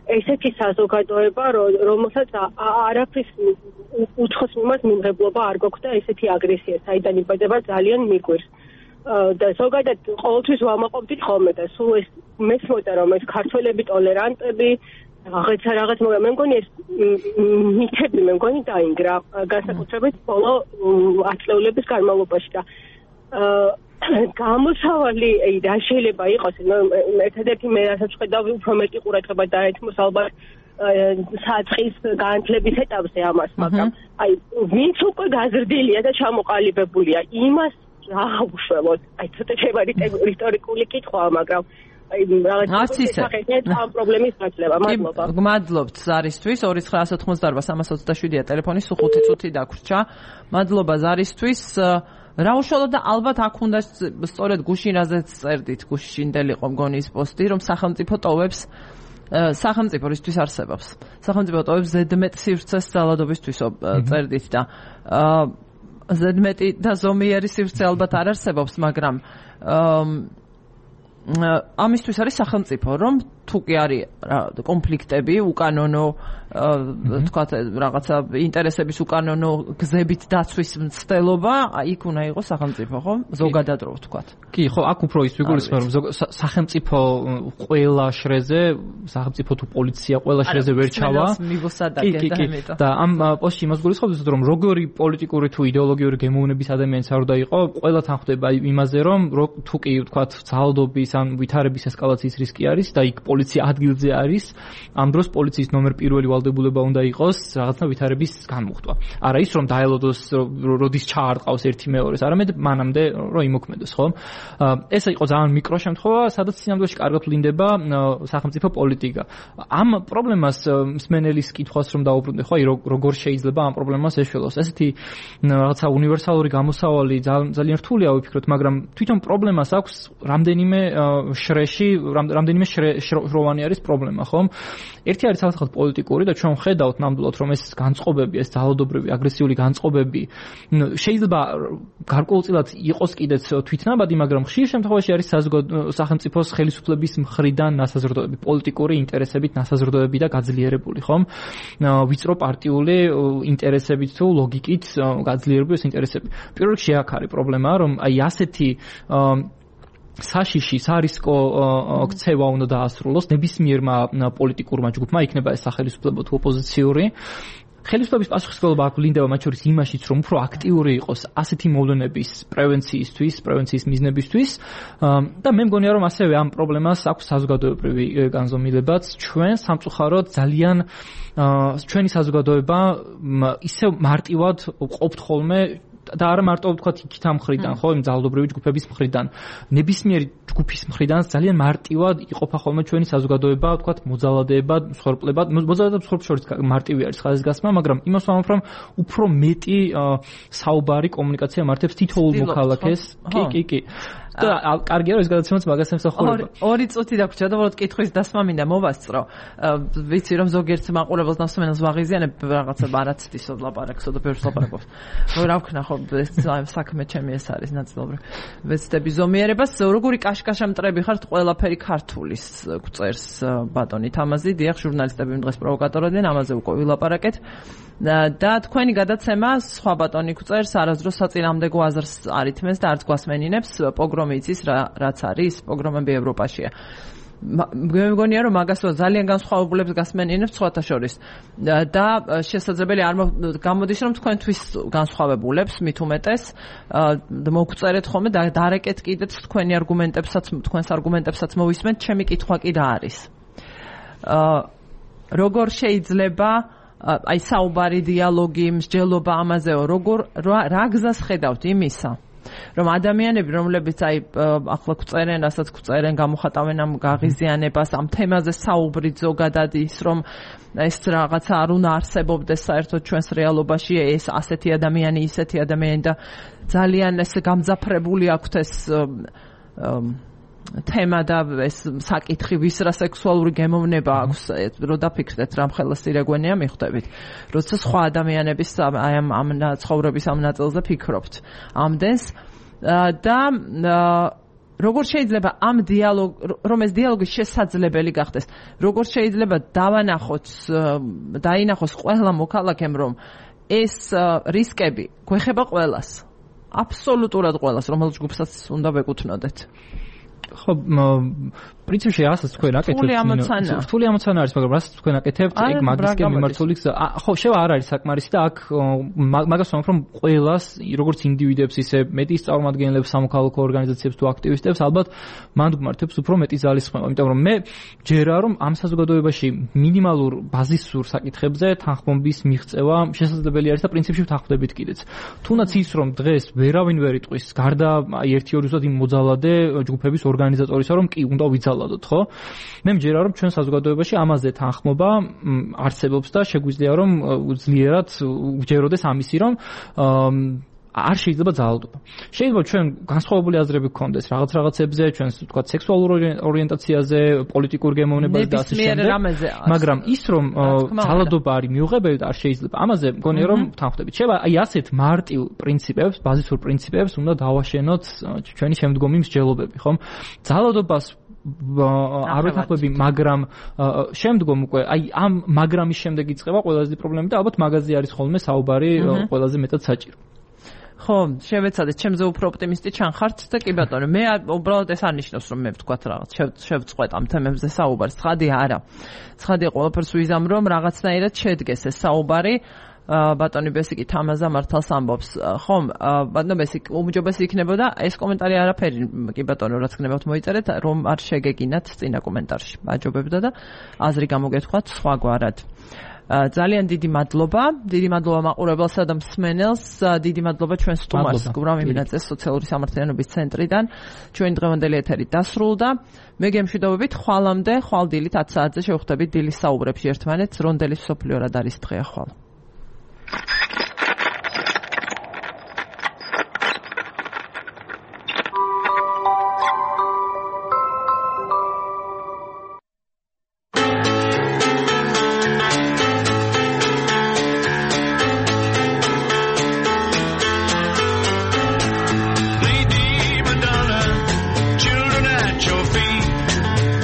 ესეთი საზოგადოება, რომელსაც არაფრის უცხოს მიმართ მიმღებლობა არ გვაქვს და ესეთი აგრესია, საიდან იბადება ძალიან მიგვირს. და ზოგადად ყოველთვის ვამაყობდით ხოლმე და სულ ეს მესმოდა რომ ეს ქართველები ტოლერანტები, რაღაცა რაღაც, მაგრამ მე მგონი ეს მითები მე მგონი დაინგრა განსაკუთრებით ბოლო ათწლეულების განმავლობაში და გამოსავალი რა შეიძლება იყოს, ერთადერთი მე რასაც ხედავ, უფრო მეტი ყურადღება დაეთმოს ალბათ საწყის განათლების ეტაპზე ამას, მაგრამ აი ვინც უკვე გაზრდილია და ჩამოყალიბებულია, იმას რა უშველოთ. აი ცოტა შეიძლება ისტორიკული კითხვაა, მაგრამ აი რაღაც ისეთ ამ პრობლემის გაცლება. მადლობა. მადლობთ ზარისთვის. ორი ცხრა ათოთხმოცდაარბა სამას ოცდაშვიდია ტელეფონი, სულ ხუთი წუთი დაგვრჩა. მადლობა ზარისთვის. რა უშუალოდ და ალბათ აქ უნდა სწორედ გუშინ რაზეც წერდით, გუშინდელი იყო მგონი ის პოსტი, რომ სახელმწიფო ტოვებს სახელმწიფო რისთვის არსებობს. სახელმწიფო ტოვებს ზედმეტ სივრცეს ძალადობისთვისო წერდით და ზედმეტი და ზომიერი სივრცე ალბათ არ არსებობს, მაგრამ ამისთვის არის სახელმწიფო, რომ თუ კი არის კონფლიქტები, უკანონო თქვათ რაღაცა ინტერესების უკანონო გზებით დაცვის მცდელობა, იქ უნდა იყოს სახელმწიფო, ხო? ზოგადად რო ვთქვათ. კი, ხო, აქ უფრო ის ვიგულისხმევ, რომ სახელმწიფო ყველა შრეზე, სახელმწიფო თუ პოლიცია ყველა შრეზე ვერ ჩავა. კი, კი, კი. და ამ პოსტში იმას გულისხმობთ, რომ როგორი პოლიტიკური თუ იდეოლოგიური გემოვნების ადამიანიც არ უნდა იყო, ყველა თან ხვდება იმაზე, რომ თუ კი ვთქვათ ძალადობის ან ვითარების ესკალაციის რისკი არის და იქ პოლიცია ადგილზე არის, ამ დროს პოლიციის ნომერ პირველი ვალდებულება უნდა იყოს რაღაცა ვითარების განმუხტვა. არა ის რომ დაელოდოს, როდის ჩაარტყავს ერთი მეორეს, არამედ მანამდე რომ იმოქმედოს, ხო? ეს იყო ძალიან მიკრო შემთხვევა, სადაც სინამდვილეში კარგად ვლინდება სახელმწიფო პოლიტიკა. ამ პრობლემას მსმენელის კითხვას რომ დაუბრუნდე, ხო, აი როგორ შეიძლება ამ პრობლემას ეშველოს. ესეთი რაღაცა უნივერსალური გამოსავალი ძალიან რთულია ვიფიქროთ, მაგრამ თვითონ პრობლემას აქვს რამდენიმე შრეში, რამდენიმე შროვანი არის პრობლემა, ხო? ერთი არის თავად პოლიტიკური და ჩვენ ხედავთ ნამდვილად, რომ ეს განწყობები, ეს ძალადობრივი, აგრესიული განწყობები შეიძლება გარკვეულწილად იყოს კიდეც თვითნაბადი, მაგრამ ხშირ შემთხვევაში არის სახელმწიფოს ხელისუფლების მხრიდან ნასაზრდოები, პოლიტიკური ინტერესებით ნასაზრდოები და გაძლიერებული, ხო? ვიწრო პარტიული ინტერესებით თუ ლოგიკით გაძლიერებული ეს ინტერესები. პირველ რიგში აქ არის პრობლემა, რომ აი ასეთი საშიში, სარისკო ქცევა უნდა დაასრულოს ნებისმიერმა პოლიტიკურმა ჯგუფმა, იქნება ეს სახელისუფლებო თუ ოპოზიციური. ხელისუფლების პასუხისმგებლობა აქ ვლინდება მათ შორის იმაშიც, რომ უფრო აქტიური იყოს ასეთი მოვლენების პრევენციისთვის, პრევენციის მიზნებისთვის და მე მგონია, რომ ასევე ამ პრობლემას აქვს საზოგადოებრივი განზომილებაც. ჩვენ სამწუხაროდ ძალიან ჩვენი საზოგადოება ისევ მარტივად ყოფთ ხოლმე და არა მარტო ვთქვათ იქით ამ მხრიდან, ხო, იმ ძალადობრივი ჯგუფების მხრიდან, ნებისმიერი ჯგუფის მხრიდან ძალიან მარტივად იყოფა ხოლმე ჩვენი საზოგადოება, ვთქვათ, მოძალადეებად, მსხვერპლებად, მოძალადეებად მსხვერპლებს შორის მარტივი არის ხაზგასმა, მაგრამ იმას ვამბობ, რომ უფრო მეტი საუბარი კომუნიკაცია მართებს თითოეულ მოქალაქეს. კი, კი, კი. და კარგია რომ ეს გადაცემაც მაგას ემსახურება. ორი წუთი დაგვრჩა და უბრალოდ კითხვის დასმა მინდა მოვასწრო. ვიცი რომ ზოგიერთ მაყურებელს ნასვენელს ვაღიზიანებ რაღაცა არაცდისო ლაპარაკსო და ბევრს ლაპარაკობს. რა ვქნა ხო ეს საქმე ჩემი ეს არის ნაწილობრივ. ვეცდები ზომიერებას, როგორი კაშკაშა მტრები ხართ ყველაფერი ქართულის გვწერს ბატონი თამაზი, დიახ, ჟურნალისტები დღეს პროვოკატორებდნენ, ამაზე უკვე ვილაპარაკეთ. და თქვენი გადაცემა სხვა ბატონი გვწერს არასდროს საწინააღმდეგო აზრს არ ითმეს და არც გვასმენინებს პოგრომი იცის რაც არის პოგრომები ევროპაშია. მე მგონია რომ მაგასო ძალიან განსხვავებულებს გასმენინებს სხვათა შორის და შესაძლებელი არ გამოდის რომ თქვენთვის განსხვავებულებს მით უმეტეს მოგწერეთ ხოლმე და დარეკეთ კიდეც თქვენი არგუმენტებსაც თქვენს არგუმენტებსაც მოვისმენთ. ჩემი კითხვა კი რა არის? როგორ შეიძლება აი საუბარი, დიალოგი, მსჯელობა ამაზეო, როგორ რა გზას ხედავთ იმისა, რომ ადამიანები, რომლებიც აი ახლა გვწერენ, რასაც გვწერენ, გამოხატავენ ამ გაღიზიანებას, ამ თემაზე საუბრით ზოგადად ის, რომ ეს რაღაცა არ უნდა არსებობდეს საერთოდ ჩვენს რეალობაში, ეს ასეთი ადამიანი, ისეთი ადამიანი და ძალიან ეს გამძაფრებული აქვთ ეს თემა და ეს საკითხი, ვის რა სექსუალური გემოვნება აქვს, რო დაფიქრდეთ რამ ხელა სირეგვენია მიხვდებით, როცა სხვა ადამიანების აი ამ ამ ცხოვრების ამ ნაწილზე ფიქრობთ ამდენს და როგორ შეიძლება ამ დიალოგ რომ ეს დიალოგი შესაძლებელი გახდეს, როგორ შეიძლება დავანახოთ დაინახოს ყველა მოქალაქემ რომ ეს რისკები გვეხება ყველას, აბსოლუტურად ყველას, რომელს ჯგუფსაც უნდა ვეკუთვნოდეთ. ხო, პრინციპში რასაც თქვენ აკეთებთ, რთული ამოცანა. რთული ამოცანა არის, მაგრამ რასაც თქვენ აკეთებთ, ეგ მაგისკენ მიმართული გზა. ხო, შევა არ არის საკმარისი და აქ მაგას ვამბობ, რომ ყველას, როგორც ინდივიდებს, ისე მეტის წარმომადგენლებს, სამოქალაქო ორგანიზაციებს თუ აქტივისტებს, ალბათ მანდ გვმართებს უფრო მეტი ძალისხმევა, იმიტომ რომ მე ჯერა რომ ამ საზოგადოებაში მინიმალურ ბაზისურ საკითხებზე თანხმობის მიღწევა შესაძლებელი არის და პრინციპში ვთანხმდებით კიდეც. თუნდაც ის რომ დღეს ვერავინ ვერ იტყვის, გარდა აი ერთი ორი ზუსტად იმ მოძალადე ჯგუფების ორგანიზატორისა, რომ კი უნდა ვიცალადოთ, ხო? მე მჯერა რომ ჩვენ საზოგადოებაში ამაზე თანხმობა არსებობს და შეგვიძლია რომ ძლიერად ვჯეროდეს ამისი რომ არ შეიძლება ძალადობა. შეიძლება ჩვენ განსხვავებული აზრები გქონდეს რაღაც რაღაცებზე, ჩვენ თქვა სექსუალურ ორიენტაციაზე, პოლიტიკურ გემოვნებაზე და ასე შემდეგ. მაგრამ ის რომ ძალადობა არის მიუღებელი და არ შეიძლება. ამაზე მგონია რომ თანხმდებით. შევა აი ასეთ მარტივ პრინციპებს, ბაზისურ პრინციპებს უნდა დავაშენოთ ჩვენი შემდგომი მსჯელობები, ხომ? ძალადობას არ ვეთანხმები, მაგრამ შემდგომ უკვე აი ამ მაგრამის შემდეგ იწყება ყველაზე პრობლემა და ალბათ მაგაზე არის ხოლმე საუბარი ყველაზე მეტად საჭირო. ხო, შევეცადეთ, ჩემზე უფრო ოპტიმისტი ჩანხართ და კი ბატონო, მე უბრალოდ ეს არ ნიშნავს რომ მე ვთქვათ რაღაც, შევწყვეტ ამ თემებზე საუბარს. ცხადი არა. ცხადია ყველაფერს ვიზამ რომ რაღაცნაირად შედგეს ეს საუბარი. ბატონი ბესიკი თამაზა მართალს ამბობს. ხომ, ბატონო ბესიკი, უმჯობესი იქნებოდა ეს კომენტარი არაფერი, კი ბატონო, რაც გნებავთ მოიწერეთ, რომ არ შეგეგინათ წინა კომენტარში. აჯობებდა და აზრი გამოგეთქვათ სხვაგვარად. ძალიან დიდი მადლობა, დიდი მადლობა მაყურებელსა და მსმენელს, დიდი მადლობა ჩვენ სტუმარს, გურამ იმინაძეს სოციალური სამართლიანობის ცენტრიდან. ჩვენი დღევანდელი ეთერი დასრულდა. მე გემშვიდობებით ხვალამდე, ხვალ დილით ათი საათზე შევხვდებით დილის საუბრებში ერთმანეთს, რონდელის მსოფლიო რად არის დღეა ხვალ.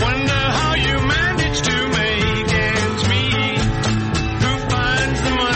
Wonder how you manage to make ends meet. Who finds the money?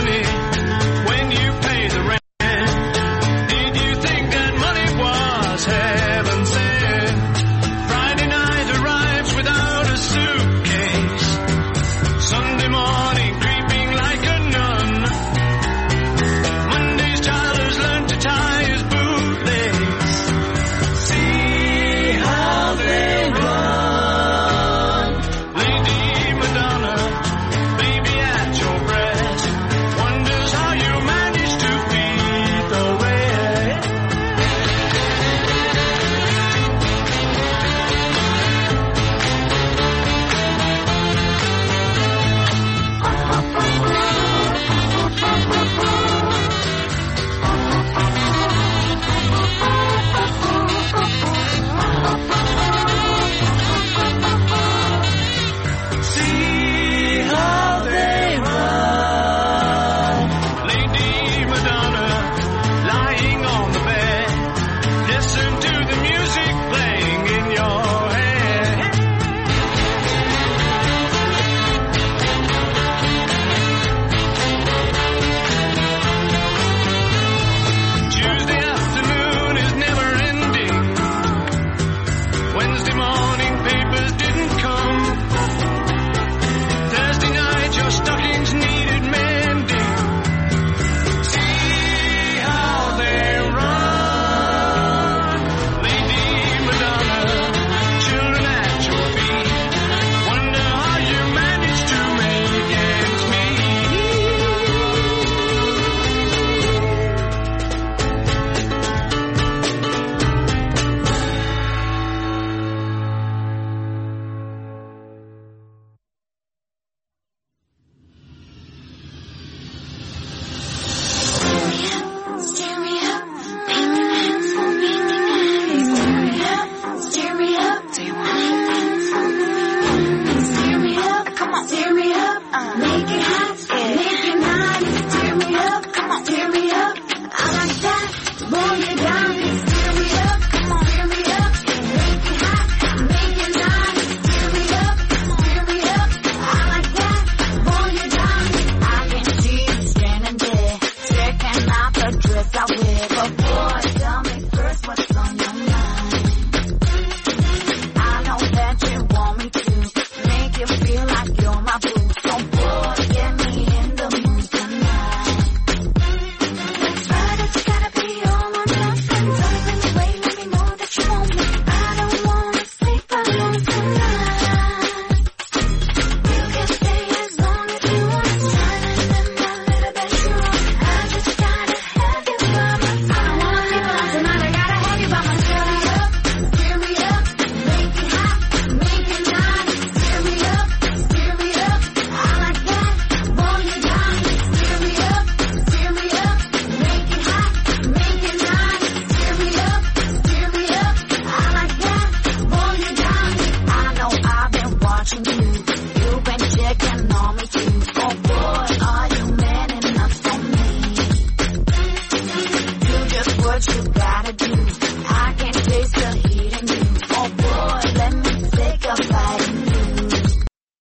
que no me